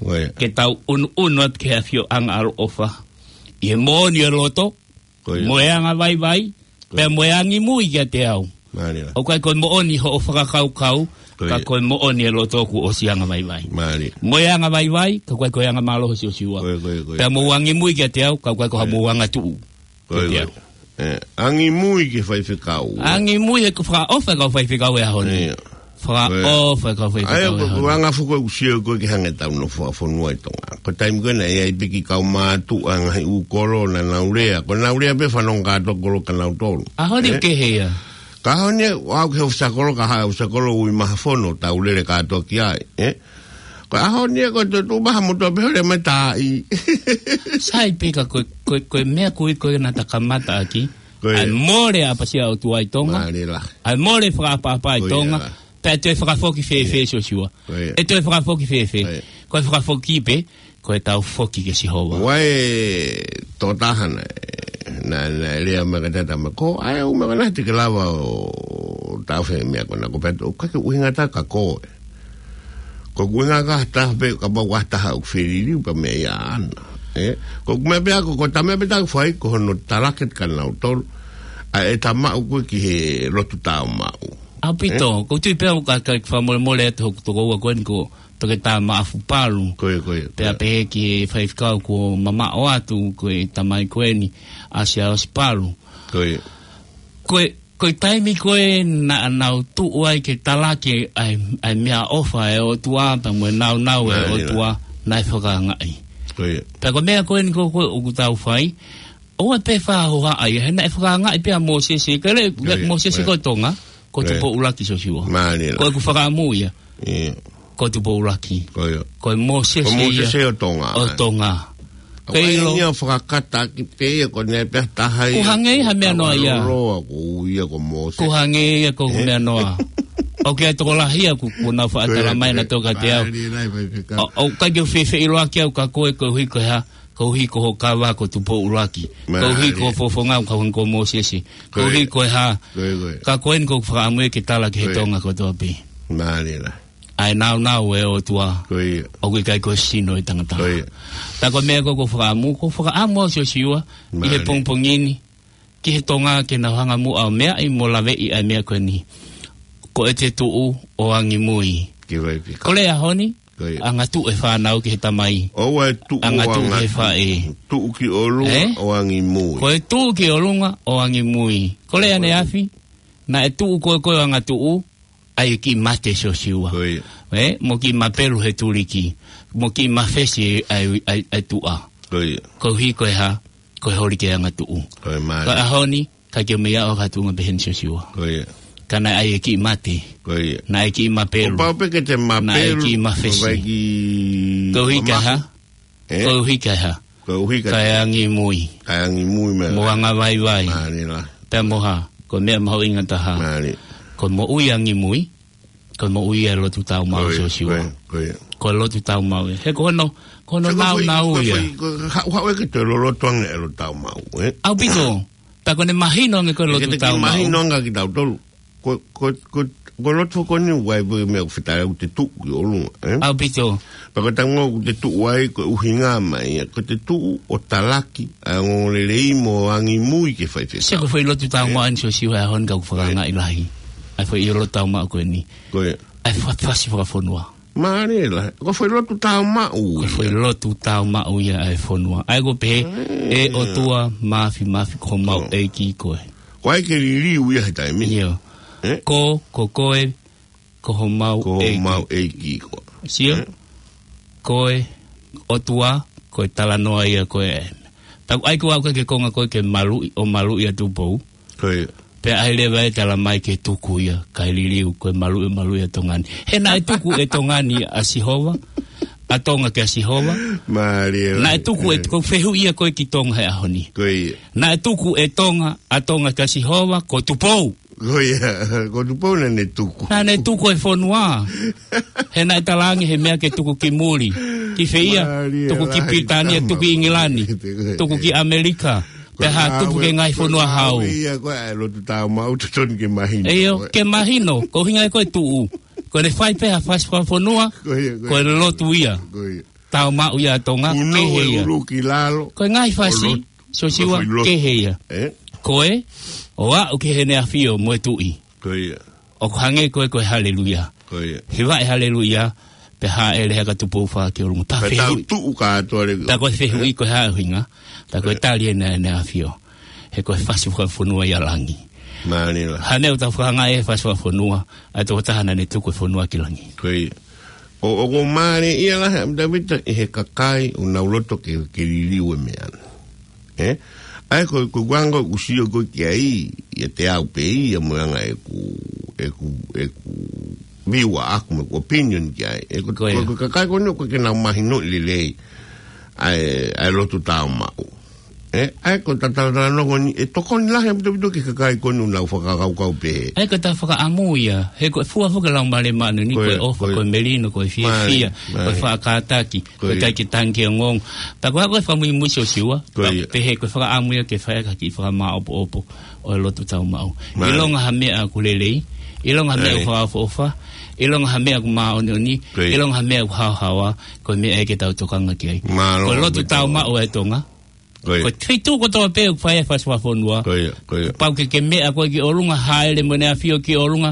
Ko ia. Ke tau ʻunuʻunu atu ki he ʻafioʻanga ʻaloʻofa ʻi he moʻoni ʻo e loto, ko ia, mo e angavaivai, ko ia, pea mo e angimui kiate au. Mālie lā. ʻOku ʻikai ko e moʻoni hoʻo fakakaukau, ko ia, ka ko e moʻoni ʻo e loto kuo ʻosi angavaivai. Mālie. Mo e angavaivai, ka ʻoku ʻikai ko e angamālohi Siosiua. Ko ia, ko ia, ko ia. Pea mo e angimui kiate au, ka ʻoku ʻikai ko, ko ia, haʻamou angatuʻu. Ko ia, ko ia. Ko ia. Ē, angimui ki he faifekau. Angimui he ko e fakaʻofa e kau faifekau he ʻaho ni. Ia. Fakaʻofa e kau faifekau he ʻaho ni. Ko ia. Ē, ko e anga foki ʻoku ou sio ko ē ki he anga ʻetau nofo fakafonua ʻi Tonga. Ko e taimi ko ē naʻe ʻi ai pē kiʻi kau mātuʻa ngaahi ʻū kolo naʻa nau lea. Ko ʻenau lea pē fanongo kātoa kolo kia nautolu. ʻAho ni, ē, ʻoku kehe ia. Ka ʻaho ni, ʻoku ʻi ai e ʻofisa kolo, ka haʻu e ʻofisa kolo ʻo ui mai ha fono, tau lele kātoa ki ai, ē? Ko e ʻaho ni ko e tuʻu mai ha motuʻa pē ʻo lea mai e taaʻi. Sai pē ka ko e, ko e, ko e meʻa ko ē ko ē naʻa ta kamata ʻaki. Ko ia. ʻA e mole ʻapasia ʻOtua ʻi Tonga. Mālie lā. ʻA e mole fakaʻapaʻapa ʻi Tonga. Ko ia. Pea ʻe toe fakafoki fēfē, ia, Siosiua? Ko ia. ʻE toe fakafoki fēfē? Ko ia. Ko e fakafoki pē, ko ʻetau foki kia Sihova. ʻOku ʻi ai e tokotaha naʻe, naʻe, naʻe lea mai kiate au, tama ko, ʻai ʻo meʻa ko ena te ke lava ʻo taʻofi e meʻa ko ena, ko e pehē atu, ʻoku ʻikai ke ʻuhinga atu kia koe. Ko e ʻuhinga kia ha taha pē, kapau ko ha taha ʻoku feliliu pea meʻa ia ʻaʻana. Ē? Ko e meʻa pē ia ko, ko e tama pē ʻoku fai, ko hono talake kia nautolu ʻa e tama ʻoku ki he lotu tāumaʻu. ʻAupito, ē? ʻOku ou tui pē au ka, ka fakamolemole atu hoku tokoua ko eni ko Toketā Maʻafu Palu. Ko ia, ko ia. Pea, pea pehē ki he faifekau kuo mamaʻo atu, ko e tamai ko eni, ʻa Siaosi Palu. Ko ia. Ko e, Ko e taimi ko ē naʻa nau tuʻu ai ke talaki ʻa e, ʻa e meʻaʻofa ʻa e ʻOtua, pea mo e nāunau ʻa e ʻOtua, naʻe fakaangaʻi. Ko ia. Pea ko e meʻa ko eni ko ē ʻoku tau fai, ʻoua pē fakahohaʻa ia, he naʻe fakaangaʻi pē ʻa Mōsese, ka le, Mōsese ko Tonga, ko Tupou ʻUluaki Siosiua. Mālie. Ko ʻeku fakaʻamu ia. Ko Tupou ʻUluaki. Ko ia. Ko e Mōsese ia ʻo Tonga. ʻO Tonga. Ko e ʻilo ia fakakata ki pē ia ko ʻene pea taha ia. Ko hangē ha meʻa noa ia. Loloa ko ia ko Mōsese. Ko hangē ia ko e meʻa noa. ʻOku ʻi ai e tokolahi ia ʻoku, ʻoku nau faʻa tala mai naʻa tō kiate au. ʻOku ʻikai ke u fefeʻiloaki au kia koe koeʻuhi ko e hā, koeʻuhi ko hoʻo kava ko Tupou ʻUluaki. Koeʻuhi ko hoʻo fofonga ko, ko Mōsese. Koeʻuhi ko e hā. Ka ko eni ʻoku ou fakaʻamu ia ke tala ki he Tonga kotoa pē. Mālie. ʻA e nāunau ʻa e ʻOtua. Ko ia. ʻOku ʻikai ko e sino ʻo e tangata. Ko ia. Pea ko e meʻa ko ē ʻoku ou fakaʻamu, ʻoku ou fakaʻamu au Siosiua, ʻi he pongipongi ni, ki he Tonga ke nau hanga muʻa ʻo meaʻi mo laveʻi ʻa e meʻa ko eni. Ko ʻete tuʻu ʻo angimui. Ko e ʻaho ni, angatuʻu e fānau ki he tamai. ʻOua ʻe tuʻu ʻo angatuʻu ki he faʻē. Tuʻu ki ʻolunga ʻo angimui. Ko e tuʻu ki ʻolunga ʻo angimui. Ko e ʻaneafi, naʻe tuʻu ko ē ko e angatuʻu, ʻa e kiʻi mate Siosiua. Ko ia. Mo kiʻi mapelu he tuliki. Mo kiʻi mafesi ʻa e, ʻa e, ʻa e tuʻa. Ko ia. Koeʻuhi ko e hā, ko e holi ke angatuʻu. Ko e mālie. Ka ʻaho ni, ka ke meʻa ʻo ka tuʻunga pehē ni Siosiua. Ko ia. Ka naʻe ʻai e kiʻi mate. Ko ia. Naʻe kiʻi mapelu. Kuo pau pē ke te mapelu. Naʻe kiʻi mafesi. Koeʻuhi ka hā. Koeʻuhi ka hā. Koeʻuhi ka. Ka e angimui. Ka e angimui mai. Mo angavaivai. Mālie. Pea mo hā. Ko e meʻa mahuʻinga taha. Mālie. Ko e moʻui angimui. Ko e moʻui ʻa e lotu tāumaʻu Siosiua. Ko e lotu tāumaʻu. He ko hono, ko hono nāunau ia. Ko e haʻu, haʻu ʻe ke toe loloto ange e lotu tāumaʻu, ē? ʻAupito. Pea ko ʻene mahino ange ko e lotu tāumaʻu. Mahino ange kia kitautolu. Ko, ko, ko, ko e lotu ko eni ʻoku ʻai pē meʻa ʻoku fetaulaki ʻoku te tuʻu ki ʻolunga, ē? ʻAupito. Pea ko e taimi ʻoku te tuʻu ai ko e ʻuhinga mai ia, ko ʻete tuʻu ʻo talaki ʻa e ongoongolelei mo angimui ke fai fekau. Sio ko e foʻi lotu tāumaʻu eni Siosiua ʻa e ʻaho ni ka ʻoku fakaangaʻi lahi. ʻA e foʻi lotu tāumaʻu ko eni. Ko ia. ʻA e fa-, fasi fakafonua. Mālie. Ko e foʻi lotu tāumaʻu ia. Ko e foʻi lotu tāumaʻu ia ʻa e fonua. ʻA ia ko e pehē, ʻE ʻOtua, māfimafi ko homau ʻEiki koe. Ko hai ke liliu ia he taimi ni? ʻIo. Ko, ko koe, ko homau ʻEiki. Ko homau ʻEiki koe. Sio? Ko e ʻOtua, ko e talanoa ia ko ē. Pea ʻoku ʻai ko au ke konga ko ē ke maluʻi, ʻo maluʻi ʻa Tupou. Ko ia. Pea ʻai leva ʻe tala mai ke tuku ia, kae liliu, ko e maluʻi, maluʻi ʻa Tonga ni. He naʻe tuku ʻe Tonga ni ʻa Sihova, ʻa Tonga kia Sihova. Mālie. Naʻe tuku ʻe, ko e fehuʻi ia ko ē ki Tonga he ʻaho ni. Ko ia. Naʻe tuku ʻe Tonga, ʻa Tonga kia Sihova, ko Tupou. Ko ia, ko Tupou naʻa ne tuku. Naʻa ne tuku e fonua. He naʻe talaange he meʻa ke tuku ki muli. Ki fē ia, tuku ki Pilitānia, tuku ki ʻIngilani, tuku ki ʻAmelika. Pea hā tupu ke ngaahi fonua hau. Ia ko e lotu tāumaʻu totonu ke mahino. ʻIo, ke mahino, ko e ʻuhinga ia ko e tuʻu. Ko ʻene fai pē ha fasi fakafonua, ko e lotu ia. Tāumaʻu ia ʻa Tonga, kehe ia. Ko e ngaahi fasi, Siosiua, kehe ia. Ko e, ʻo aʻu ki heʻene ʻafio mo e tuʻi. Ko ia. ʻOku hangē ko e, ko e haleluia. Ko ia. Hiva e haleluia, pea hāʻele hake ʻa Tupou Fā ki ʻolunga. Pea fehuʻi. Pea ko e fehuʻi ko e hā e ʻuhinga. Pea ko e tali ʻena ʻene ʻafio. He ko e fasi fakafonua ia ʻa langi. Mālie. Hangē ʻoku tau fakaangaʻi e fasi fakafonua, ʻa e tokotaha naʻa ne tuku e fonua ki langi. Ko ia. ʻO, ʻoku mālie ia lahi ʻa Tēvita ʻi he kakai ʻoku nau loto ke, ke liliu e meʻa. Ē? ʻA ia ko, ko e anga ʻoku sio ko ē ki ai, ʻiate au pē ia mo e anga ʻeku, ʻeku, ʻeku view ʻaʻaku mo ʻeku opinion ki ai. ʻE ko, ko e kakai ko eni ʻoku ʻikai ke nau mahinoʻi lelei ʻa e, ʻa e lotu tāumaʻu. Ē? ʻA ia ko e talatala nongo ni, ʻe tokoni lahi ʻa Tēvita ki he kakai ko eni ʻoku nau fakakaukau pehē. ʻA ia ko e fakaʻamu ia, he ko e fua foki e Laumālie Māʻoniʻoni, ko e ʻofa, ko e melino, ko e fiefia, ko e faʻa kātaki. Ko e ʻikai ke tangi ki he ongoongo. Pea ko e hā ko e fakamuimui Siosiua, pea pehē ko e fakaʻamu ia ke fai ha kiʻi fakamāʻopoʻopo ʻo e lotu tāumaʻu. ʻIlonga ha meʻa ʻoku lelei, ʻilonga ha meʻa ʻoku fakaʻofoʻofa, ʻilonga ha meʻa ʻoku māʻoniʻoni, ʻilonga ha meʻa ʻoku haohaoa, ko e meʻa ia ke tau tokanga ki ai. Ko e lotu tāumaʻu ʻa e Tonga. Ko e feituʻu kotoa pē ʻoku fai ai e fasi fakafonua. Pau ke ke meʻa koe ki ʻolunga, hāʻele mo ʻene ʻafio ki ʻolunga.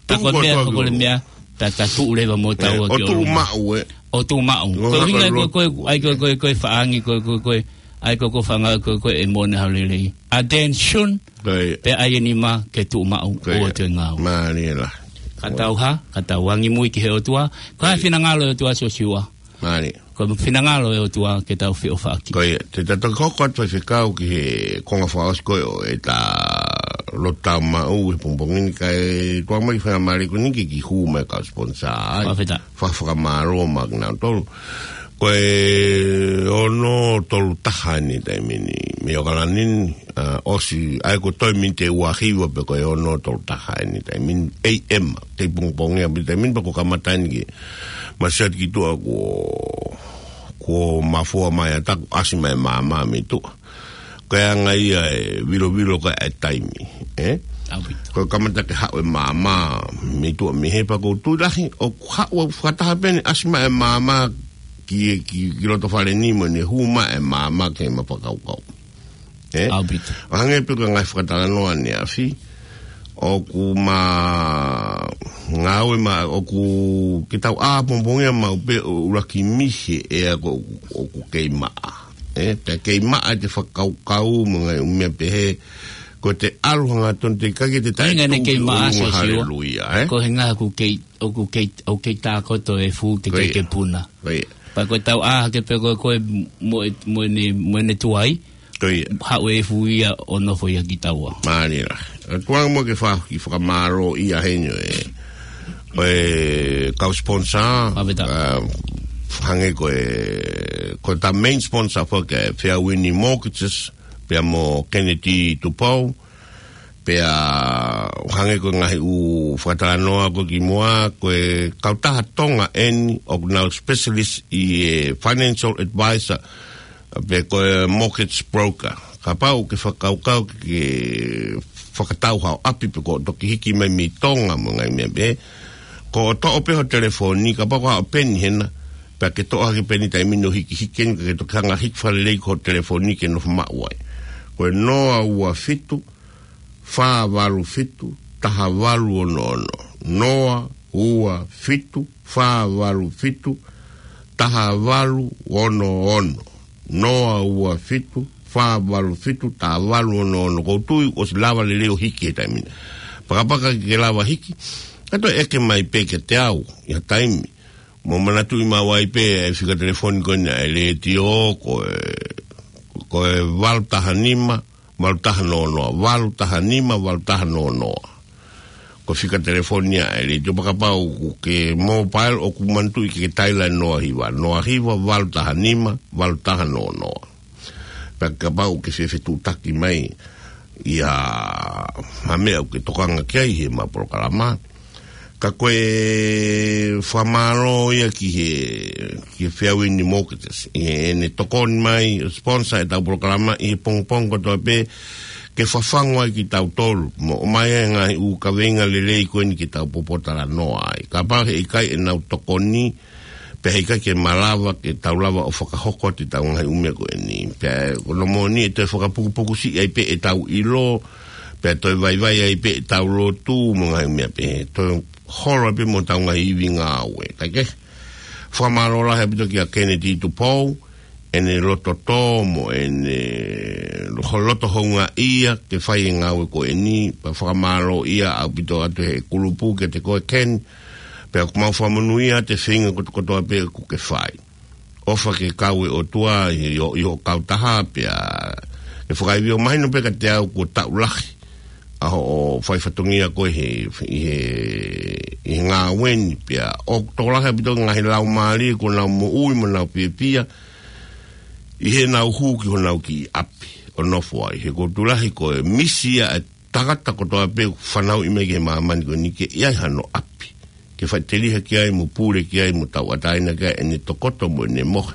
Pea ko e meʻa ko e meʻa, pea ta tuʻu leva mo taua ki ʻolunga. ʻO tuʻu maʻu, ē. ʻO tuʻu maʻu. Ko e ʻuhinga ko e, ko e, ʻai ko e, ko e, ko e faʻa angi, ko e, ko e, ko e, ʻai ko e, ko e faʻa angi, ko e, ko e, ʻe moʻoni ha lelei. attention, Ko ia. pea ʻai e nima ke tuʻu maʻu Ko ia. ʻo ʻoatu e ngāue. Mālie lahi. Ka tau hā, ka tau angimui ki he ʻOtua, ko e Ko ia. finangalo e ʻOtua Siosiua. Mālie. Ko e finangalo e ʻOtua ke tau feʻofaʻaki. Ko ia, te ta toki hoko atu faifekau ki he konga fakaʻosi ko ē ʻo ʻeta lotu tau maʻu he pongipongi ni kae tuku mai faingamālie ko eni ke kiʻi hū mai kau sponsor ai. Fakafetaʻi. Fa-, fakamālō maʻa kinautolu. Ko e ono tolu taha eni taimi ni, mei ʻAokalani ni, ʻa, ʻosi, ʻa ia ko e toe miniti ʻe ua hiva pē ko e ono tolu taha eni taimi ni, A M, tei pongipongi ʻaupito taimi ni pea ko e kamata eni ke masiʻi atu ki tuʻa kuo, kuo mafua mai ʻa taku ʻasi mai māmā mei tuʻa. Ko e anga ia e vilovilo ko ē ʻa e taimi, ē? ʻAupito. Ko e kamata ke haʻu e māmā mei tuʻa mei hē pea ʻoku ou tui lahi, ʻoku haʻu ʻo fakataha pē eni ʻasi mai e māmā ki, ki, ki loto fale ni mo ʻene hū mai e māmā ki he mafakaukau. Ē? ʻAupito. ʻO hangē pē ko e ngaahi fakatalanoa ʻaneafi, ʻoku ma ngāue ma, ʻoku ke tau ʻā pongipongia maʻu pē ʻo ʻuluaki mihi e ʻea ko ē ʻoku kei maʻa. Ē, pea kei maʻa ʻete fakakaukau mo e ngaahi ʻū meʻa pehē, ko ʻete ʻalu hangatonu te kai ke te Ko e ʻuhinga ʻene taʻetuʻu kei ki maʻa, ʻolunga Siosiua. Haleluia, ē? Ko e ʻuhinga ʻoku kei, ʻoku kei, ʻoku kei tākoto e efu ke Ko kei ia. ke puna. Ko ia. Pea ko e tau ʻā hake pē ko ē ko ē mo e, mo ʻene, mo ʻene tuai. Ko ia. Haʻu e efu ia ʻo nofo ia kitaua. Mālie lahi. ʻA, tuku ange muʻa ke fai ha kiʻi fakamālō ia heni ʻo e, ʻo e kau sponsor. Fakafetaʻi. ʻA, hangē ko e, ko ʻeta main sponsor foki ʻa e Fairwind Mortgages, pea mo Kennedy Tupou, pea hangē ko e ngaahi ʻū fakatalanoa ko ē kimuʻa, ko e kautaha Tonga eni ʻoku nau specialist ʻi he financial advisor, pe ko e mortgage broker. Kapau ʻoku ke fakakaukau ke fakatau haʻo ʻapi pe ko e toki hiki mai mei Tonga mo e ngaahi meʻa pehē, ko e toʻo pē ho telefoni, kapau ko haʻo peni hena, pea ke toʻo hake pē eni taimi ni ʻo hikihiki eni, ka ke toki hanga hiki fakalelei ki ho telefoni ke nofo maʻu ai. Ko e noa ua fitu, fā valu fitu, taha valu ono ono. Noa ua fitu, fā valu fitu, taha valu ono ono. Noa ua fitu, fā valu fitu, taha valu ono ono. ʻOku ou tui ʻosi lava lelei ʻo hiki he taimi ni. Pakapaka ke lava hiki, ka toe ʻeke mai pē kiate au ʻi ha taimi. Mou manatuʻi maʻu ai pē e fika telefoni ko eni ʻa e letiō, ko e, ko e valu taha nima, valu taha noa noa, valu taha nima, valu taha noa noa. Ko e fika telefoni ia ʻa e letiō, pea kapau ʻoku ke mobile ʻoku manatuʻi ke ke taila noa hiva, noa hiva, valu taha nima, valu taha noa noa. Pea kapau ʻoku ke fefetuʻutaki mai ʻi ha, ha meʻa ʻoku ke tokanga ki ai he ʻema polokalama. Ka ko e fakamālō ia ki he, ki he Fairwind Mortgages, ʻi heʻene tokoni mai ʻo sponsor ʻetau polokalama ʻi he pongipongi kotoa pē, ke fafangu ai kitautolu mo ʻomai ai e ngaahi ʻū kaveinga lelei ko eni ke tau popotalanoa ai. Kapau heʻikai ʻenau tokoni, pea heʻikai ke malava ke tau lava ʻo fakahoko atu ʻetau ngaahi ʻū meʻa ko eni. Pea ko hono moʻoni ʻe toe fakapukupuku siʻi ai pē ʻetau ʻilo, pea toe vaivai ai pē ʻetau lotu mo e ngaahi ʻū meʻa pehē. Toe holo ai pē mo ʻetau ngaahi ivi ngāue. Kaikehe, fakamālō lahi ʻaupito kia Kennedy Tupou, ʻene loto tō mo ʻene lo-, loto houngaʻia ke fai e ngāue ko eni, pea fakamālō ia ʻaupito atu he kulupu kiate koe Ken, pea ʻoku mau fakamonūʻia ʻa e feinga kotokotoa pē ʻoku ke fai. ʻOfa ke kau e ʻOtua ʻi ho, ʻi ho kautaha pea ke fakaivio mahino pē kiate au kuo taʻu lahi ʻa hoʻo fai fatongia ko ē he, ʻi he, ʻi he ngāue ni pea ʻoku tokolahi ʻaupito e ngaahi laumālie kuo nau moʻui mo nau fiefia ʻi heʻenau hū ki honau kiʻi ʻapi ʻo nofo ai. He ʻoku ou tui lahi ko e misi ia ʻa e tangata kotoa pē ʻoku fanauʻi mai ki he māmani ko eni ke ʻi ai hano ʻapi ke faʻiteliha ki ai mo pule ki ai mo tauʻatāina ki ai ʻene tokoto mo ʻene mohe.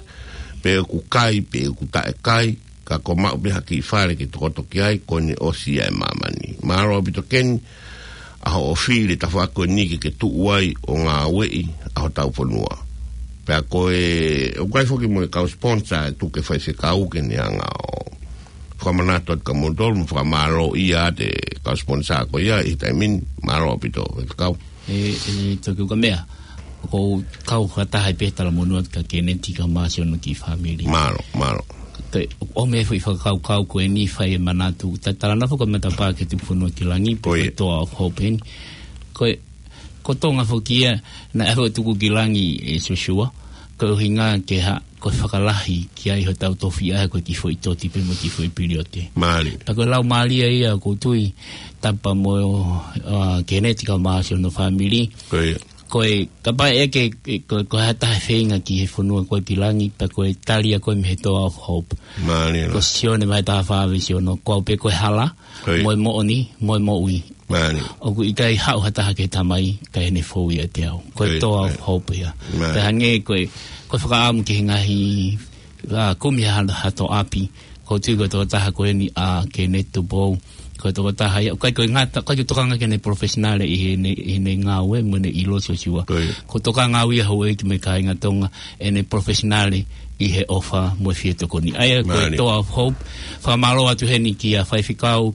Pe ʻoku kai, pe ʻoku taʻekai, ka kuo maʻu pē ha kiʻi fale ke tokoto ki ai, ko ʻene ʻosi ia e māmani. Mālō ʻaupito Ken, ʻa hoʻo fili e tafaʻaki ko eni ke ke tuʻu ai ʻo ngāueʻi ʻa hotau fonua. Pea ko e, ʻoku ʻi ai foki mo e kau sponsor ʻe tuku ke faifekau ke ne hanga ʻo fakamanatu atu kia moutolu, mo fakamālōʻia ʻa e kau sponsor ko ia ʻi he taimi ni, mālō ʻaupito, faifekau. ʻE, ʻe, toki uka meʻa. ʻOku ou kau fakataha ai pē he talamonū atu kia Kennedy kae ʻumaʻā siʻono kiʻi fāmili. Mālō, mālō. Ko e, ʻomi e foʻi fakakaukau ko eni fai e manatu. Ta-, talanoa foki ko e matapā ki he Tukufonua ki Langi, pe ko e Toa of Hope eni. Ko e, ko Tonga foki ia, naʻe ʻave ʻo tuku ki langi ʻe Siosiua. Ko e ʻuhinga ke hā, ko e fakalahi ki ai hotau tofiʻa ko e kiʻi foʻi toti pē mo e kiʻi foʻi piliote. Mālie. Pea ko e lau mālie ia ʻoku ou tui, tapu mo, ʻa, Keneti kae ʻumaʻā siʻono fāmili. Ko ia. Ko e, kapau ʻe ke, ko, ko ha taha feinga ki he fonua ko ē ki langi, pea ko e tali ia ko ē mei he Toa of Hope. Mālie. Ko Sione vahe taha fā veesi ono, ko au pē ko e hala, ko ia, mo e moʻoni, mo e moʻui. Mālie. ʻOku ʻikai haʻu ha taha ki he Tamai, kae ʻi heʻene fou ʻiate au. Ko e, ko ia, Toa of Hope ia. Mālie. Pea hangē ko e, ko e fakaʻamu ki he ngaahi, ʻa, kumi ha, ha toʻapi. ʻOku ou tui ko e tokotaha ko eni ʻa Keneti Tupou. Ko e tokotaha ia, ʻoku ʻikai ko e ngata, ʻoku ʻikai ko e tokanga ki heʻene professional ʻi heʻene, ʻi heʻene ngāue, mo ʻene ʻilo Siosiua. Ko ia. Ko e tokanga au ia houʻeiki mo e kāinga Tonga, ʻene professional ʻi he ʻofa mo e fie tokoni. ʻA ia, ko e, mālie, Toa of Hope, fakamālō atu heni kia Faifekau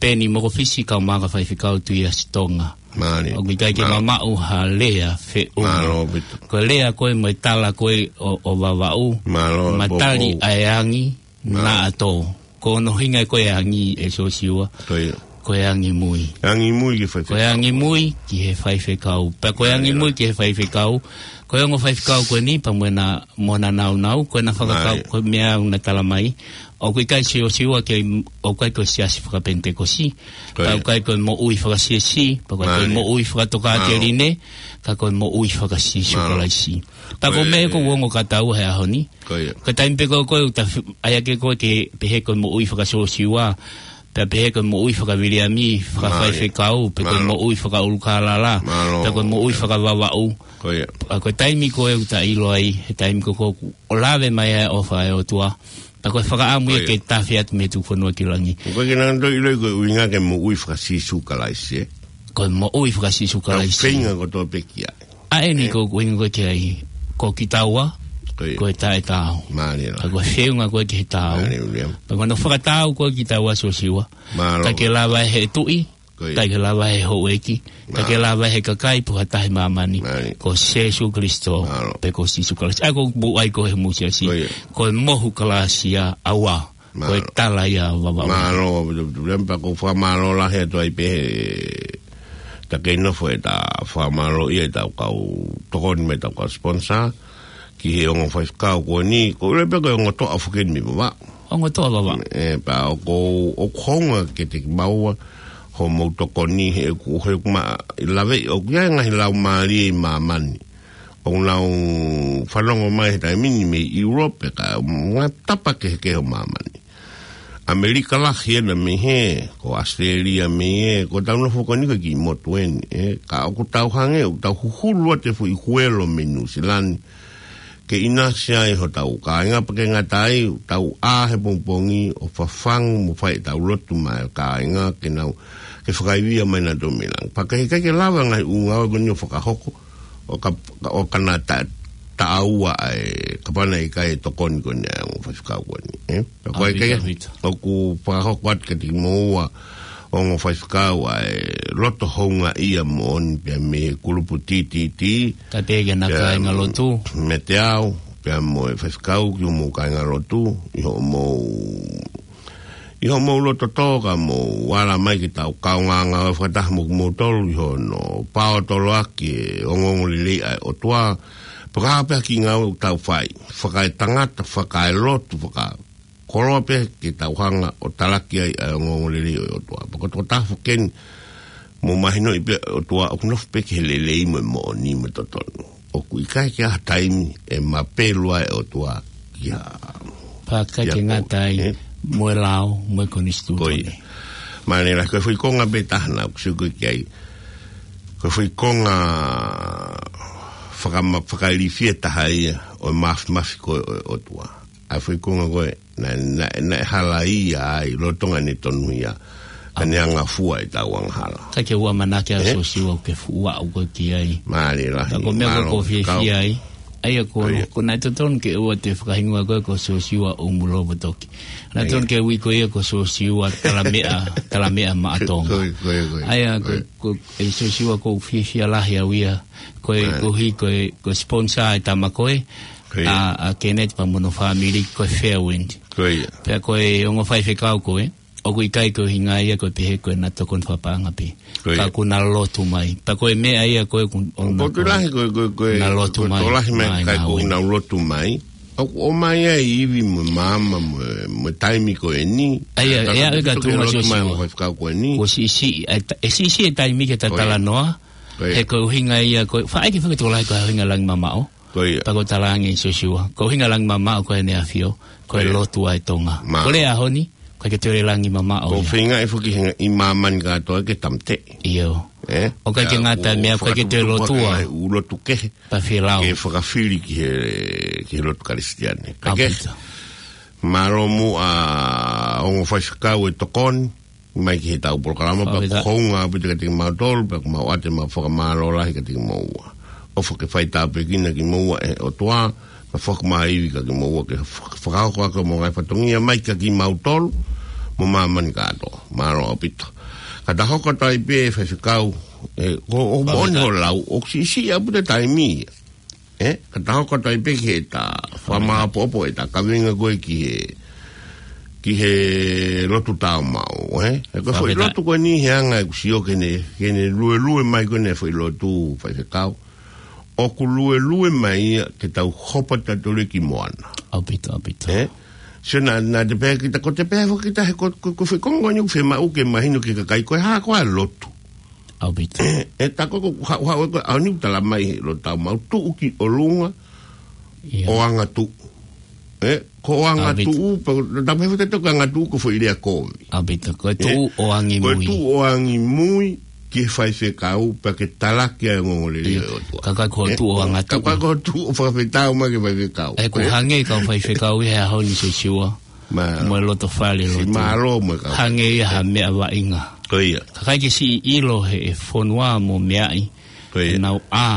Peni Mokofisi kae ʻumaʻā Faifekau Tuiasi Tonga. Mālie. ʻOku ʻikai ke, mālie, mamaʻo ha lea feʻunga. Mālō ʻaupito. Ko e lea ko ē mo e tala ko ē ʻo, ʻo Vavaʻu. Mālō, matali, Vavaʻu, ʻa e angi, mālie, naʻa tō. Ko hono ʻuhinga ko e angi ʻe Siosiua. Ko ia. Ko e angi mui. Angi mui ki he faifekau. Ko e angi mui ki he faifekau. Pea ko e, mālie, angi mui ki he faifekau. Ko e ongo faifekau ko eni pea mo ʻena, mo ʻena nāunau, ko ʻena fakakau, mālie, ko e meʻa ʻoku na tala mai. ʻOku ʻikai Siosiua ke, ʻoku ʻikai ko e siasi fakapenitekosi. Ko ia. Pea ʻoku ʻikai ko e moʻui fakasiasi, pea ʻoku ʻikai ko e, mālie, moʻui fakatokāteline, mālie, ka ko e moʻui faka-Sīsū, mālie, Kalaisi. Pea ko e, ko e meʻa ʻoku ou ongo kātoa he ʻaho ni. Ko ia. Ko e taimi pē ko ē ʻoku ta fi-, ʻai ʻaki ko ē ke pehē ko e moʻui faka-Siosiua, pea pehē ko e moʻui faka-Viliami, mālie, fakafaifekau, pe ko e, mālie, moʻui fakaʻulukālala, mālie, pea ko e moʻui, ē, faka-Vavaʻu. Ko ia. Pea ko e taimi ko ē ʻoku ta ʻilo ai, he taimi ko ē ʻoku lave mai ai e ʻofa ʻa e ʻOtua. Pea ko e fakaʻamu ia, ko ia, ke tafe atu mei he Tukufonua ki langi. Ko e ke nanga toi ʻilo ko e ʻuhinga ke moʻui faka-Sīsū Kalaisi, ē? Ko e moʻui faka-Sīsū Kalaisi. Tau feinga kotoa pē ki ai. ʻA eni, ē, ko e ʻuhinga ko ē ki ai, ko kitaua, ko ia, ko e taʻetaau. Mālie lā. Ka ko e feʻunga ko ē ki he taau. Mālie, Uliam. Pea ko hono fakataau ko ē kitaua Siosiua. Mālō. Ka ke lava he tuʻi, ko ia, ka ke lava he houʻeiki, ka ke, mālō, lava he kakai pe ko ha taha ʻi māmani. Mālie. Ko Sīsū Kalaisi. Mālō. Pe ko Sīsū Kalaisi. ʻA ia ko e puʻai ko ē he mūsiasi. Ko ia. Ko e mohu Kalaisi ia ʻaua. Ko e, mālō, tala ia ʻa Vavaʻu. Mālō, Uliam, pea ʻoku ou fakamālō lahi atu ai pē he, ta kei nofo ʻeta fakamālō ia ʻetau kau tokoni mo ʻetau kau sponsor, ki he ongo faifekau ko eni, ko ule pē ko e ongo toʻa foki eni mei Vavaʻu. Ongo toʻa Vavaʻu. Ē, pea ʻoku, ʻoku hounga kiate kimaua hoʻomou tokoni he ʻoku, he ʻoku ma, ʻi lave ʻoku ʻi ai e ngaahi laumālie ʻi māmani ʻoku nau fanongo mai he taimi ni mei Europe, ka ngaahi tapa kehekehe ʻo māmani. ʻAmelika lahi ena mei hē, ko ʻAositelēlia mei hē, ko ʻetau nofo ko eni ko e kiʻi motu eni, ē, ka ʻoku tau hangē, ʻoku tau huhulu atu e foʻi huelo mei Nuʻusila ni ke ʻinasi ai hotau kāinga, pea ʻikai ngata ai, tau ʻā he pongipongi ʻo fafangu mo fai ʻetau lotu maʻa e kāinga ke nau, ke fakaivia mai nautolu mei langi. Pea ʻikai ke lava e ngaahi ʻū ngāue ko eni ʻo fakahoko, ʻo ka, ʻo ka na ta, taʻaua ai, kapau naʻe ʻikai e tokoni ko eni ʻa e ongo faifekau ko eni, ē? Pea ko e, ʻaupito, ʻikai, ʻaupito, ʻoku fakahoko atu kiate kimoua ongo faifekau ʻa e loto houngaʻia moʻoni pea mei he kulupu T T T. Ka te ke na, pea kāinga lotu. Mei te au, pea mo e faifekau ki hoʻomou kāinga lotu, ʻi hoʻomou, ʻi hoʻomou loto tō ka mou ala mai ke tau kaungā ngāue fakataha mo kimoutolu ʻi hono paotoloaki e ongoongolelei ʻa e ʻOtua. Pea ko e hā pē ha kiʻi ngāue ʻoku tau fai, fakaetangata, fakaelotu, fakakoloa pē ke tau hanga ʻo talaki ai ʻa e ongoongolelei ʻo e ʻOtua. Pea ko e tokotaha foki eni, mou mahinoʻi pē ʻOtua ʻoku nofo pē ki he lelei mo e moʻoni mo e totonu. ʻOku ʻikai ke ʻi ai ha taimi ʻe mapelu ai e ʻOtua ki ha, pea ʻikai ke ngata ai, ē, mo e lao, mo e konisitūtone. Ko ia. Mālie lā, ko e foʻi konga pē taha naʻa ku sio ko ē ki ai. Ko e foʻi konga fakama-, fakailifia taha ia ʻo e mafimafi ko ē ʻo e ʻOtua. ʻA e foʻi konga ko ē, naʻe, naʻe, naʻe hala ia ai, lolotonga ʻene tonuhia, ʻa ʻene angafua ʻetau angahala. Ka ke ʻoua ʻamanaki ʻa, ē? Siosiua ke fuʻu aʻu ko ē ki ai. Mālie lahi, ka ko e meʻa ko ē, mālō, ko e fiefia ai. ʻA ia ko, ko ia, ko e naʻe totonu ke ʻoua te fakahingoa ko ē ko Siosiua ʻUmulovotoki. Naʻe, ʻa ia, totonu ke ui ko ia ko Siosiua Talameʻa, Talameʻa Maʻatonga. Ko ia, ko ia, ko ia. ʻA ia ko, ko, ʻe Siosiua ʻoku ou fiefia lahi au ia. Ko e, ʻa ia, ko e, ko e sponsor e tama ko ē, ko ia, ʻa, ʻa Kenneth pea mo hono fāmili ko e Fairwind. Ko ia. Pea ko e ongo faifekau ko ē, ʻoku ʻikai ko e ʻuhinga ia ko e pehē ko ʻena tokoni fakapaʻanga pē. Ko ia. Ka ʻoku na lotu mai. Pea ko e meʻa ia ko ē ʻoku ʻo na ko e lahi ko e, ko e, ko e, na lotu ko e mai, tokolahi mai mai ka ʻoku nau ē. Nau lotu mai. ʻOku ʻomai ai e ivi mo e maama mo e, mo e taimi ko eni. ʻA ia, ʻa ia, ʻa ia, ka tau ʻoatu e lotu mai Sosiua. Mo e faifekau ko eni. Kuo siʻisiʻi, ʻa e ta-, ʻe siʻisiʻi e taimi ke ta talanoa. Ko ia. Ko ia. He ko e ʻuhinga ia, ko e, faʻa ʻeke fakatokolahi ko e ʻuhinga e langi mamaʻo. Ko ia. Pea ko e talaange ʻe Sosiua. Ko e ʻuhinga e langi mamaʻo ko ʻene ʻAfio. Ko e lotu ʻa e Tonga. Mālō. Ko e ʻaho ni, ʻoku ʻikai ke toe langi mamaʻo ia. ʻOku feinga ʻe foki he ʻi māmani kātoa ke tāmateʻi. ʻIo. ʻE? ʻOku ʻikai ke ngata meʻa, ʻoku ʻikai ke toe lotua. Fakatupu ʻa e ʻū lotu kehe. Pea fie lau. Ke fakafili ki he, ki he lotu Kalisitiane. Kae kehe. ʻAupito. Mālō muʻa ongo faifekau e tokoni mai ki heʻetau polokalama, pea ʻaupito. Ko e hounga ʻaupito kiate kimautolu, pea ʻoku mau ʻoatu ʻemau fakamālō lahi kiate kimoua. ʻOfa ke fai tāpuekina kimoua ʻe he ʻOtua, pea fakamaau ivi kiate kimoua ke fak-, fakahoko ʻaki ʻemau ngaahi fatongia mai kiate kimautolu, mo māmani kātoa. Mālō ʻaupito. Ka ta hoko atu ai pē faifekau, ʻe, ko, ʻoku moʻoni ʻaupito. Hoʻo lau, ʻoku siʻisiʻi ʻaupito e taimi. ʻE, ka ta hoko atu ai pē ki heʻeta fakamāʻopoʻopo ʻeta kaveinga ko ē ki he, ki he lotu tāumaʻu, ʻe? ʻE, ko e foʻi lotu ko eni he anga ʻeku sio ki heʻene, ki heʻene luelue mai ko eni e foʻi lotu faifekau. ʻOku luelue mai ia ke tau hopo tautolu ki Moana. ʻAupito, ʻaupito. ʻE? Sio naʻa, naʻa te pehē kita, ko te pehē foki kita he ko, ko, ko e foʻi konga ko eni ʻoku fiemaʻu ke mahino ki he kakai ko e hā ko ā e lotu. ʻAupito. ʻE, ʻe tā ko ē ʻoku haʻu, haʻu ʻe ko ē ʻaho ni ʻoku tala mai he lotu tāumaʻu tuʻu ki ʻolunga, ʻio. ʻO angatuʻu. ʻE, ko ʻo angatuʻu, ʻaupito. Pea, tā pehē foki te ko e angatuʻu ko e foʻi lea kovi. ʻAupito, ko e tuʻu ʻo angimui. Ko e tuʻu ʻo angimui ki he faifekau, pea ke talaki ai e ongoongolelei ʻo e ʻOtua. ʻIo. Ka ʻikai ko e tuʻu ʻo angatuʻu. Ka ʻikai ko e tuʻu ʻo fakafetaʻi mai ki he faifekau. ʻE, ʻoku hangē ka ko e faifekau ʻi he ʻaho ni Sosiua. Mā. Mo e loto fale lotu. Siʻi mālō mo e kau. Hangē ia ha meʻa vaʻinga. Ko ia. Ka ʻikai ke siʻi ʻilo he ʻe fonua mo meaʻi. Ko ia. ʻEnau ʻā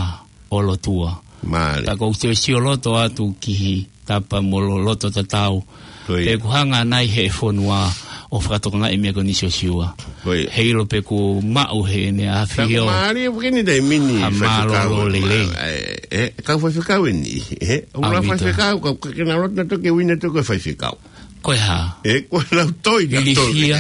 ʻo lotua. Mālie. Pea ʻoku ou toe sioloto atu ki he tapa mo e lo-, loto tatau. Ko ia. Pea ʻoku hanga ʻanai he ʻe fonua ʻo fakatokangaʻi e meʻa ko eni Sosiua. Ko ia. He ʻilo pē kuo maʻu heʻene ʻAfio. Pea ʻoku mālie foki ʻene taimi ni ha mālōlō lelei. Faifekau, ʻe, ʻe, kau faifekau eni, ʻe, ʻoku ʻaupito. Faifekau, kau, ka ke na loto na toki uina toki faifekau. Ko e hā? ʻE, ko e lau toi, na toi. Ilifia.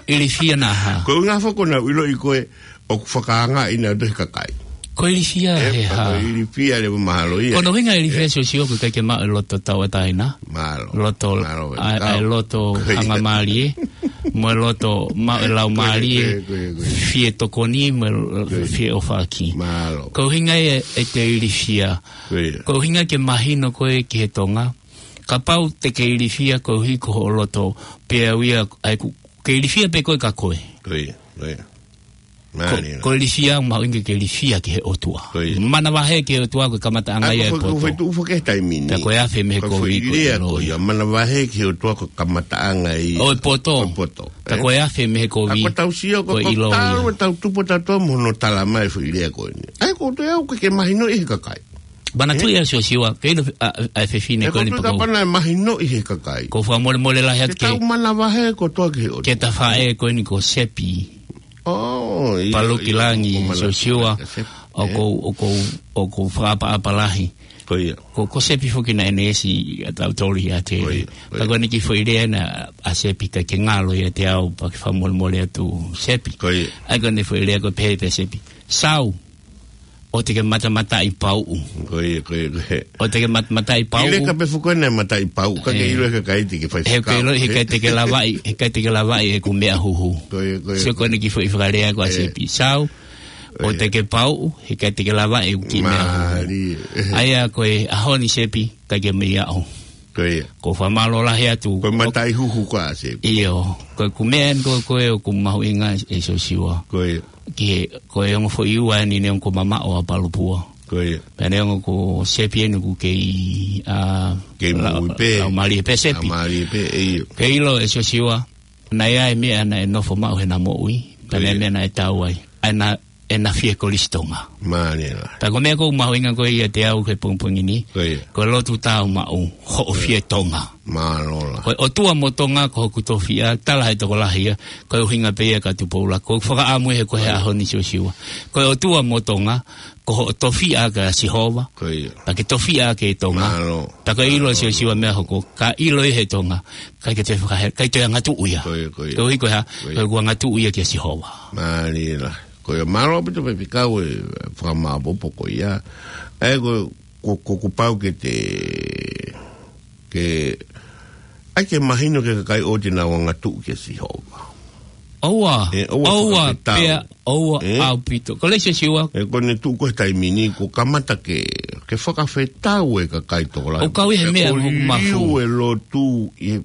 Ilifia naʻa hā? Ko e ʻuhinga foki ko ʻenau ʻiloʻi ko ē ʻoku fakaangaʻi nautolu ʻe he kakai. Ko e ilifia he hā? Ko e ilifia leva mahalo ia. Ko hono ʻuhinga e ilifia Sosiua ʻoku ʻikai ke maʻu e loto tauʻatāina. Mālō. Loto, mālō, ʻa, ʻa e loto hangamālie. Mo e loto maʻu e laumālie. Ko ia, ko ia, ko ia. Fie tokoni, mo e fie ʻofaʻaki. Mālō. Ko e ʻuhinga ia ʻete ilifia. Ko ia. Ko e ʻuhinga ke mahino ko ē ki he Tonga. Kapau te ke ilifia koeʻuhi ko hoʻo loto, pea ʻoku ʻikai ke ilifia pē koe ka koe. Ko ia, ko ia. Ko, mālie. Ko e ilifia, mahuʻinga ke ilifia ki he ʻOtua. Ko ia. Manavahē ki he ʻOtua ko e kamataʻanga ia e poto. Ko e foʻi tuʻu foki he taimi ni. Pea ko e afe mei he kovi ko e loi. Ko ia, manavahē ki he ʻOtua ko e kamataʻanga ia ʻo e poto. ʻO e poto, ē? Pea ko e afe mei he kovi ko e loi. Ka ko ʻetau sio ko e talu ʻetau tupu ʻatautolu mo hono tala mai e foʻi lea ko eni. ʻA ia ko e toe au ke mahinoʻi ʻe he kakai. Manatuʻi ʻa Sosiua, ke ʻilo, ʻa, ʻa, ʻa e fefine ko eni pea ko e kapana ʻe mahinoʻi ʻe he kakai. Ko e fakamolemole lahi atu ke tau manavahē kotoa ki he ʻOtua. Ke ta faʻē ko eni ko Sepi. ʻO, ʻio, Paluki ʻio, Langi, ko Mana-, Sosiua, Sepi, ʻoku ou, ʻoku ou, ʻoku ou fakaʻapaʻapa lahi. Ko ia. Ko, ko Sepi foki naʻe neesi ʻatautolu ʻiate ia. Ko ia, ko ia. Pea ko eni kiʻi foʻi lea ena ʻa Sepi ʻikai ke ngalo ʻiate au pea ke fakamolemole atu Sepi. Ko ia. ʻA ia ko eni foʻi lea ko e pehē pē Sepi. Sau. ʻOua te ke matamataʻi pauʻu. Ko ia, ko ia, ko ia. ʻOua te ke matamataʻi pauʻu. ʻIleka pē foki ena e mataʻi pauʻu, ka ke ʻilo ʻe he kakai te ke faifekau. He ʻikai te ke lavaʻi, he ʻikai te ke lavaʻi ʻeku meʻa huhu. Ko ia, ko ia. Sio ko eni kiʻi foʻi fakalea ko ē ʻa Sepi. Sau, ʻoua te ke pauʻu, he ʻikai te ke lavaʻi ʻeku kiʻi meʻa huhu. Mālie. ʻA ia ko e ʻaho ni Sepi, ʻikai ke mei aʻu. Ko ia. Ko e fakamālō lahi atu. Ko e mataʻi huhu ko ē ʻa Sepi. ʻIo. Ko e kiʻi meʻa eni ko ē ʻoku mahuʻinga ʻe Sosiua. Ko ia. Ki he, ko e ongo foʻi ua eni neongo ko Mamaʻo ʻa Palupua. Ko ia. Pea neongo ko Sepi eni ʻoku kei, ʻa, kei la-, moʻui pē. Laumālie pē Sepi. Laumālie pē, ʻio. Ke ʻilo ʻe Sosiua, naʻe ʻi ai e meʻa naʻe nofo maʻu heʻena moʻui. Pea naʻe ʻi ai e meʻa naʻe tau ai. ʻA ia naʻa ʻena fie Kolisi Tonga. Mālie lahi. Pea ko e meʻa ʻoku mahuʻinga ko ia ʻiate au he pongipongi ni. Ko ia. Ko e lotu tāumaʻu, hoʻo fie Tonga. Mālō lahi. Ko e ʻOtua mo Tonga ko hoku tofiʻa, tala he tokolahi ia, ko e ʻuhinga pē ia ka Tupoula. Ko e fakaʻamu he ko e ʻaho ni Siosiua. Ko e ʻOtua mo Tonga, ko hoʻo tofiʻa kia Sihova. Ko ia. Pea ke tofiʻa ʻaki e Tonga. Mālō. Pea ko e ʻilo Siosiua meʻa hoko, ka ʻilo ʻi he Tonga, ʻikai ke toe fakahe-, ʻikai toe angatuʻu ia. Ko ia, ko ia. Koeʻuhi ko e hā, ko e ʻoku angatuʻu ia kia Sihova. Mālie lahi. Ko ia mālō ʻaupito Faifekau e fakamāopoopo ko ia. ʻE ko, ko, ko, kuo pau ke te, ke, ʻai ke mahino ki he kakai ʻoku nau angatuʻu kia Sihova. ʻOua, ʻe, ʻoua ʻoua, fakafetau. Pea, ʻoua ʻe? ʻAupito. Ko e lea Siosiua. ʻE ko ʻene tuʻu ko e taimi ni, kuo kamata ke, ke fakafetau e kakai tokolahi. ʻOku kau ʻi he meʻa ʻoku mafu. Liliu e lotu ʻi he ʻi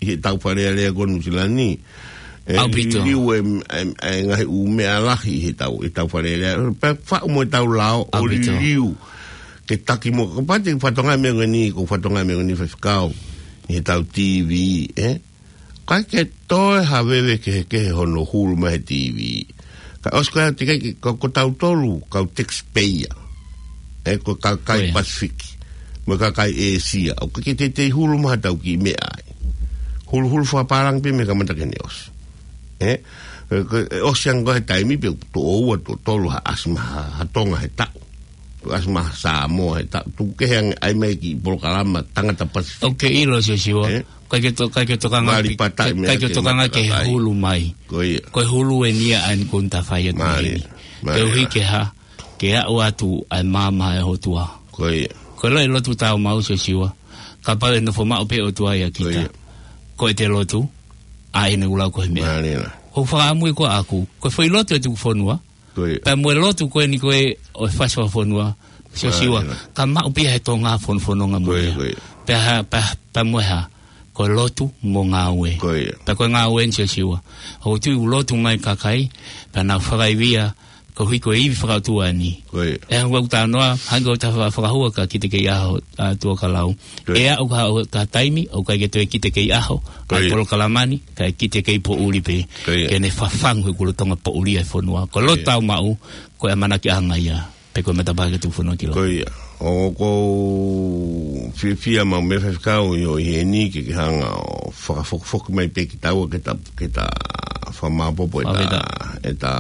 heʻetau Fale Alea ko Nuʻusila ni. ʻE, ʻaupito. Liliu e, e, e ngaahi ʻū meʻa lahi ʻi heʻetau, ʻetau Fale Alea. Pea faʻu mo ʻetau lao, ʻo ʻaupito. Liliu. Ke taki mo, ko e pati fatongia meʻa ko eni, ko e fatongia meʻa ko eni Faifekau. ʻI heʻetau T V, ē? ʻIkai ke toe haveve kehekehe hono hulu mai he T V. Ka ʻosi ko ia te ke, ko, ko tautolu, kau taxpayer. ʻE ko e kakai Pasifiki. Mo e kakai ʻĒsia. ʻOku ʻikai ke teitei hulu mai haʻatau kiʻi meʻa ai. Huluhulu fakapālangi pē mei he kamata ki heʻene ʻosi. ʻE? ʻE, ko, ʻe ʻosi ange ko e taimi pea tuʻo ua tuʻo tolu ha ʻasi mai ha, ha Tonga he taʻu. Tuʻo ʻasi mai ha Samoa he taʻu. Tuku kehe ange ʻai mai kiʻi polokalama tangata Pasifiki. ʻOku ke ʻilo Siosiua. ʻE? ʻIkai ke to-, ʻikai ke tokanga pi-, ʻikai ke tokanga ki he hulu mai. Ko ia. Ko e hulu eni ia ʻa eni ko eni ta fai atu. Mālie, eni. Mālie. Koeʻuhi ke hā, ke aʻu atu ʻa e maama ʻa e ʻOtua. Ko ia. Ko e lotu, lotu tāumaʻu Siosiua. Kapau ʻe nofo maʻu pē ʻOtua ia kita. Ko ia. Ko ʻete lotu, ʻa ʻene ʻulau ko e meʻa. Mālie. Ko e fakaʻamu ia ko ʻaku, ko e foʻi lotu ʻe tuku fonua. Ko ia. Pea mo e lotu ko eni ko e ʻo e fasi fakafonua, Siosiua, ka maʻu pē ia he Tonga fonofononga mo ia. Ko ia. Pea hā, pea, pea mo e hā, ko e lotu mo ngāue. Ko ia. Pea ko e ngāue eni Siosiua. ʻOku ou tui ʻoku lotu mai kakai, pea nau fakaivia, koeʻuhi ko e ivi fakaʻotua eni. Ko ia. ʻE hangē ko ʻeku talanoa, hangē ko ʻeta fa-, fakahua ka kiate kei ʻaho, ʻa Tuʻakalau. Ko ia. ʻE aʻu ka, ka taimi, ʻoku ʻikai ke toe kiate kei ʻaho, ʻa e polokalama ni, kae kiate kei poʻuli pē, ke ne fafangu he kulo Tonga poʻuli ʻa e fonua. Ko e lotu tāumaʻu, ko e ʻamanaki ʻanga ia, pe ko e matapā ke tuku fonua ki loto. Ko ia, ʻoku ou fiefia maʻu meʻa Faifekau ʻi hoʻo ʻi heni ke ke hanga ʻo fakafokifoki mai pē kitaua ke ta, ke ta fakamāopoopo ʻeta, ʻeta,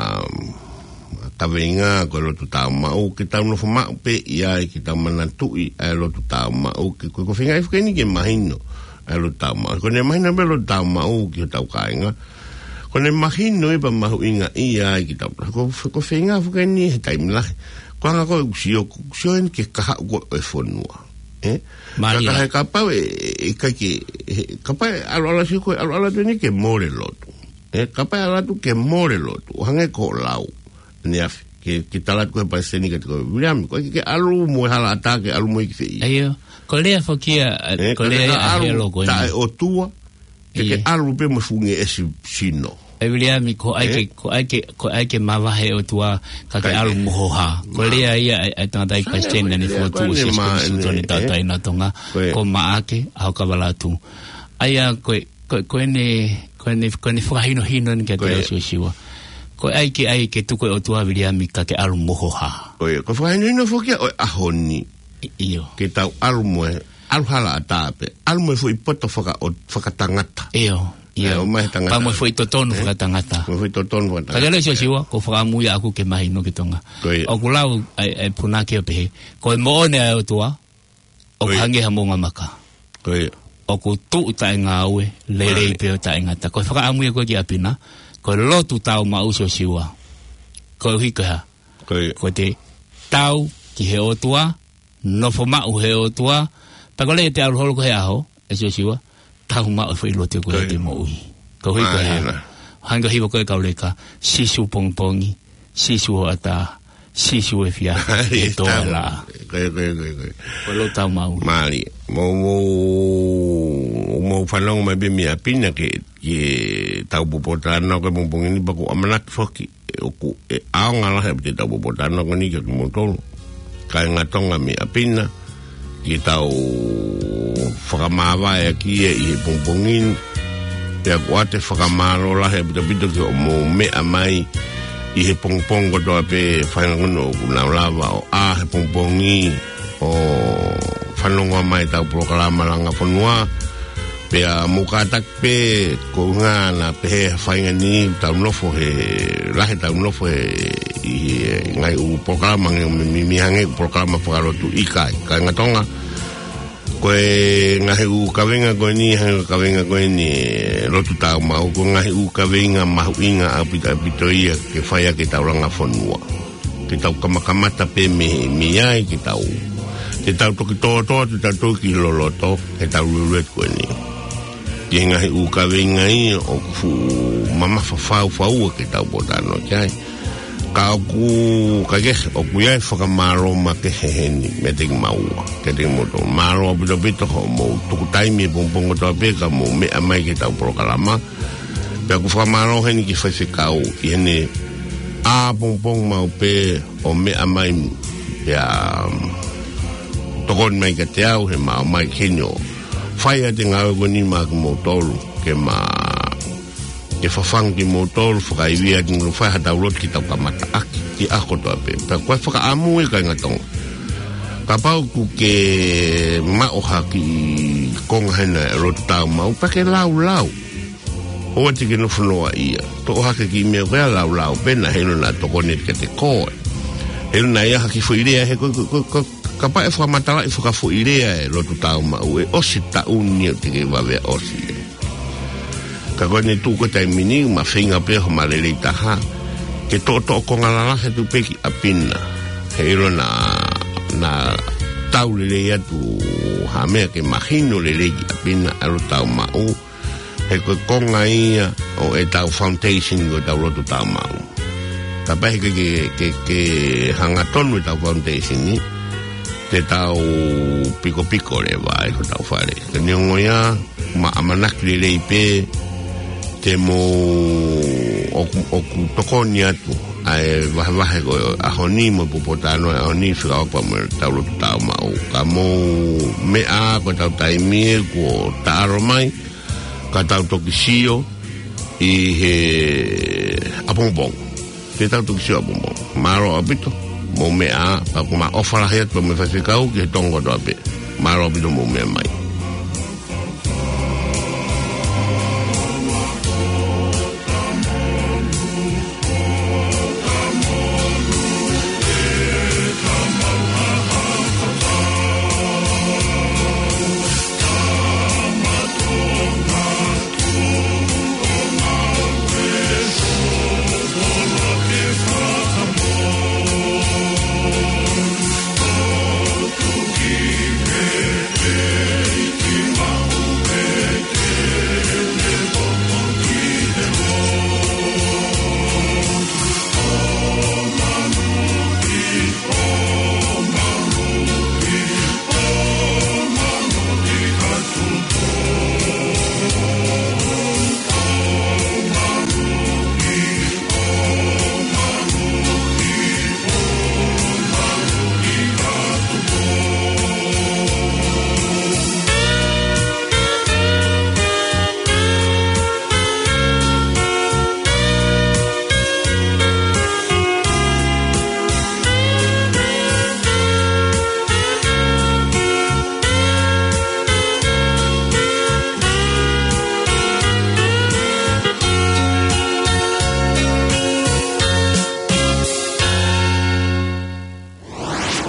kaveinga ko e lotu tāumaʻu, ke tau nofo maʻu pē ia ai ke tau manatuʻi ʻa e lotu tāumaʻu, ke ko, ko e feinga ʻi he fuʻu eni ke mahino ʻa e lotu tāumaʻu. Ko ʻene mahino pē lotu tāumaʻu ki hotau kāinga. Ko ʻene mahino ʻi he pea mahuʻinga ia ai ke tau. Ko, ko e feinga fuʻu eni he taimi lahi. Ko e anga ko e ʻusi ʻoku, ʻusi ʻeni ke kahaʻu ko e fonua. ʻE? Mālie. Ka, ka he kapau ʻe, ʻe, ʻikai ke, he, kapau ʻe ʻalu ʻalu sio ko e ʻalu ʻalu atu eni ke mole lotu. ʻE, kapau ʻe ʻalu atu ke mole lotu. ʻO hangē ko e lau. ʻAneafi, ke, ke tala atu ko e palesiteni kiate koe, Viliami, ko e ke, ke ʻalu mo e hala ʻatā ke ʻalu mo e ki fē ia. ʻIo, ko e lea foki ia, ʻe, ko e lea ia ʻa Helo ko eni. Taʻe ʻOtua, ke, ke ʻalu pē mo e fuʻu ngeʻesi sino. ʻE Viliami, ko e ʻai ke, ko e ʻai ke, ko e ʻai ke mavahe ʻOtua, ka ke ʻalu mo ho hā. Ko e lea ia ʻa e, ʻa e tangataʻeiki palesiteni naʻa ne fokotuʻu ʻa Sīsū Kalaisi ʻi he tauʻatāina ʻo Tonga, ko Maʻake ʻAhokavalatu. ʻA ia ko e, ko, ko ʻene, ko ʻene, ko ʻene fakahinohino eni kiate au Siosiua. Ko e ʻai ke, ʻai ke tuku e ʻOtua Viliami ka ke ʻalu mo ho hā. Ko ia, ko e fakahinohino foki ia ʻo e ʻaho ni. ʻIo. Ke tau ʻalu mo e, ʻalu hala ʻatā pē, ʻalu mo e foʻi poto faka-, ʻo, fakatangata. ʻIo, ʻio. ʻAi ʻo mai he tangata. Pea mo e foʻi totonu fakatangata. Mo e foʻi totonu fakatangata. Ka ke lea Siosiua, ko e fakaʻamu ia ʻaku ke mahino ki Tonga. Ko ia. ʻOku lau ʻa e, ʻa e punake ʻo pehē, ko e moʻoni ʻa e ʻOtua, ʻoku hangē ha moʻunga maka. Ko ia. ʻOku tuʻu taʻengāue, lelei pē ʻo taʻengata. Ko e fakaʻamu ia ko ē ki ʻapi na, ko e lotu tāumaʻu Siosiua. Koeʻuhi ko e hā. Ko ia. Ko ʻete tau ki he ʻOtua, nofo maʻu he ʻOtua, pea ko e lea ʻete ʻalu holo ko e ʻaho, ʻe Siosiua, tau maʻu e foʻi lotu ko ē ʻete moʻui. Koeʻuhi ko e hā. Hangē ko e hiva ko ē kau leka, Sīsū pongipongi, Sīsū hoʻatā, Sīsū efiafi, ʻe tō e laʻā. Ko ia, ko ia, ko ia, ko ia. Ko e lotu tāumaʻu. Mālie. Mou, mou, mou fanongo mai pē mei ʻapi na ke, ke tau pōpōtalanoa ko e pongipongi ni pea ʻoku ou ʻamanaki foki ʻe ʻoku ʻe ʻaonga lahi ʻa ʻetau pōpōtalanoa ko eni kiate kimoutolu kāinga Tonga mei ʻapi na, ke tau fakamāvaeʻaki ia ʻi he pongipongi ni. Pea ʻoku ʻoatu e fakamālō lahi ʻaupito ki hoʻomou meʻa mai ʻi he pongipongi kotoa pē, faʻahinga ko eni ʻoku nau lava ʻo ʻā he pongipongi ʻo fanongo mai ʻetau polokalama Langa Fonua. Pea mou kātaki pē, ko e ʻuhinga naʻa pehē ʻe he faʻahinga ni, tau nofo he, lahi ʻetau nofo he, ʻi he ngaahi ʻū polokalama, nge mi, mi, mi hangē ko e polokalama fakalotu, ʻikai, kāinga Tonga. Ko e ngaahi ʻū kaveinga ko eni, hangē ko e kaveinga ko eni, e Lotu Tāumaʻu, ko e ngaahi ʻū kaveinga mahuʻinga ʻaupito, ʻaupito ia ke fai ʻaki ʻetau Langa Fonua. Ke tau kamakamata pē mei, mei ai, ke tau, ke tau toki tōtō, ke tau toki loloto, ke tau luluetu ko eni. Ki he ngaahi ʻū kaveinga ia ʻoku fuʻu mamafa fau fau ke tau pōtalanoa ki ai. Ka ʻoku, ka ke, ʻoku ʻi ai e fakamālō makehe heni meiate kimaua, kiate kimoutolu. Mālō ʻaupito ʻaupito hoʻomou tuku taimi he pongipongi kotoa pē ka mou meʻa mai ki heʻetau polokalama. Pea ʻoku fakamālō heni ki he faifekau, ʻi heʻene ʻā pongipongi maʻu pē ʻo meʻa mai, pea, um, tokoni mai kiate au he ma ō mai ki heni ʻo fai ʻa e ngāue ko eni maʻa kimoutolu, ke ma, ke fafangu kimoutolu, fakaivia kimoutolu, fai haʻatau lotu ke tau kamata ʻaki, ki he ʻaho kotoa pē. Pea ko e fakaʻamu ia kāinga Tonga. Kapau ʻoku ke maʻu ha kiʻi konga hena e Lotu Tāumaʻu, pea ke laulau. ʻOua te ke nofo noaʻia. Toʻo hake e kiʻi meʻa ko ia, laulau pē, naʻa heʻilo naʻa tokoni kiate koe. Heʻilo naʻa ʻi ai ha kiʻi foʻi lea, he ko, ko, ko, ko, kapau ʻe fakamatalaʻi fakafoʻi lea e Lotu Tāumaʻu, ʻe ʻosi e taʻu ni ʻoku te ke vave ʻo ʻosi. Ka ko eni tuʻu ko e taimi ni, ma feinga pē hoʻoma lelei taha ke toʻotoʻo konga lalahi atu pē ki ʻapi na. Heʻilo naʻa, naʻa tau lelei atu ha meʻa ke mahino lelei ki ʻapi na ʻa e Lotu Tāumaʻu. He ko e konga ia ʻo ʻetau foundation ko ʻetau Lotu Tāumaʻu. Kapau he ke, ke, ke, ke hangatonu ʻetau foundation ni, te tau pikopiko leva ai hotau fale. Ka neongo ia, ma ʻamanaki lelei pē te mou ʻoku, ʻoku tokoni atu ʻa e vahevahe ko e ʻaho ni mo e pōtalanoa ʻo e ʻaho ni fekauʻaki pea mo ʻetau Lotu Tāumaʻu. Ka mou meʻa, ko ʻetau taimi ē kuo taʻalo mai, ka tau toki sio ʻi he ʻapongipongi. Te tau toki sio ʻapongipongi. Mālō ʻaupito, mou meʻa, pea ʻoku ma ʻofa lahi atu mo e faifekau ki he Tonga kotoa pē. Mālō ʻaupito mou meʻa mai.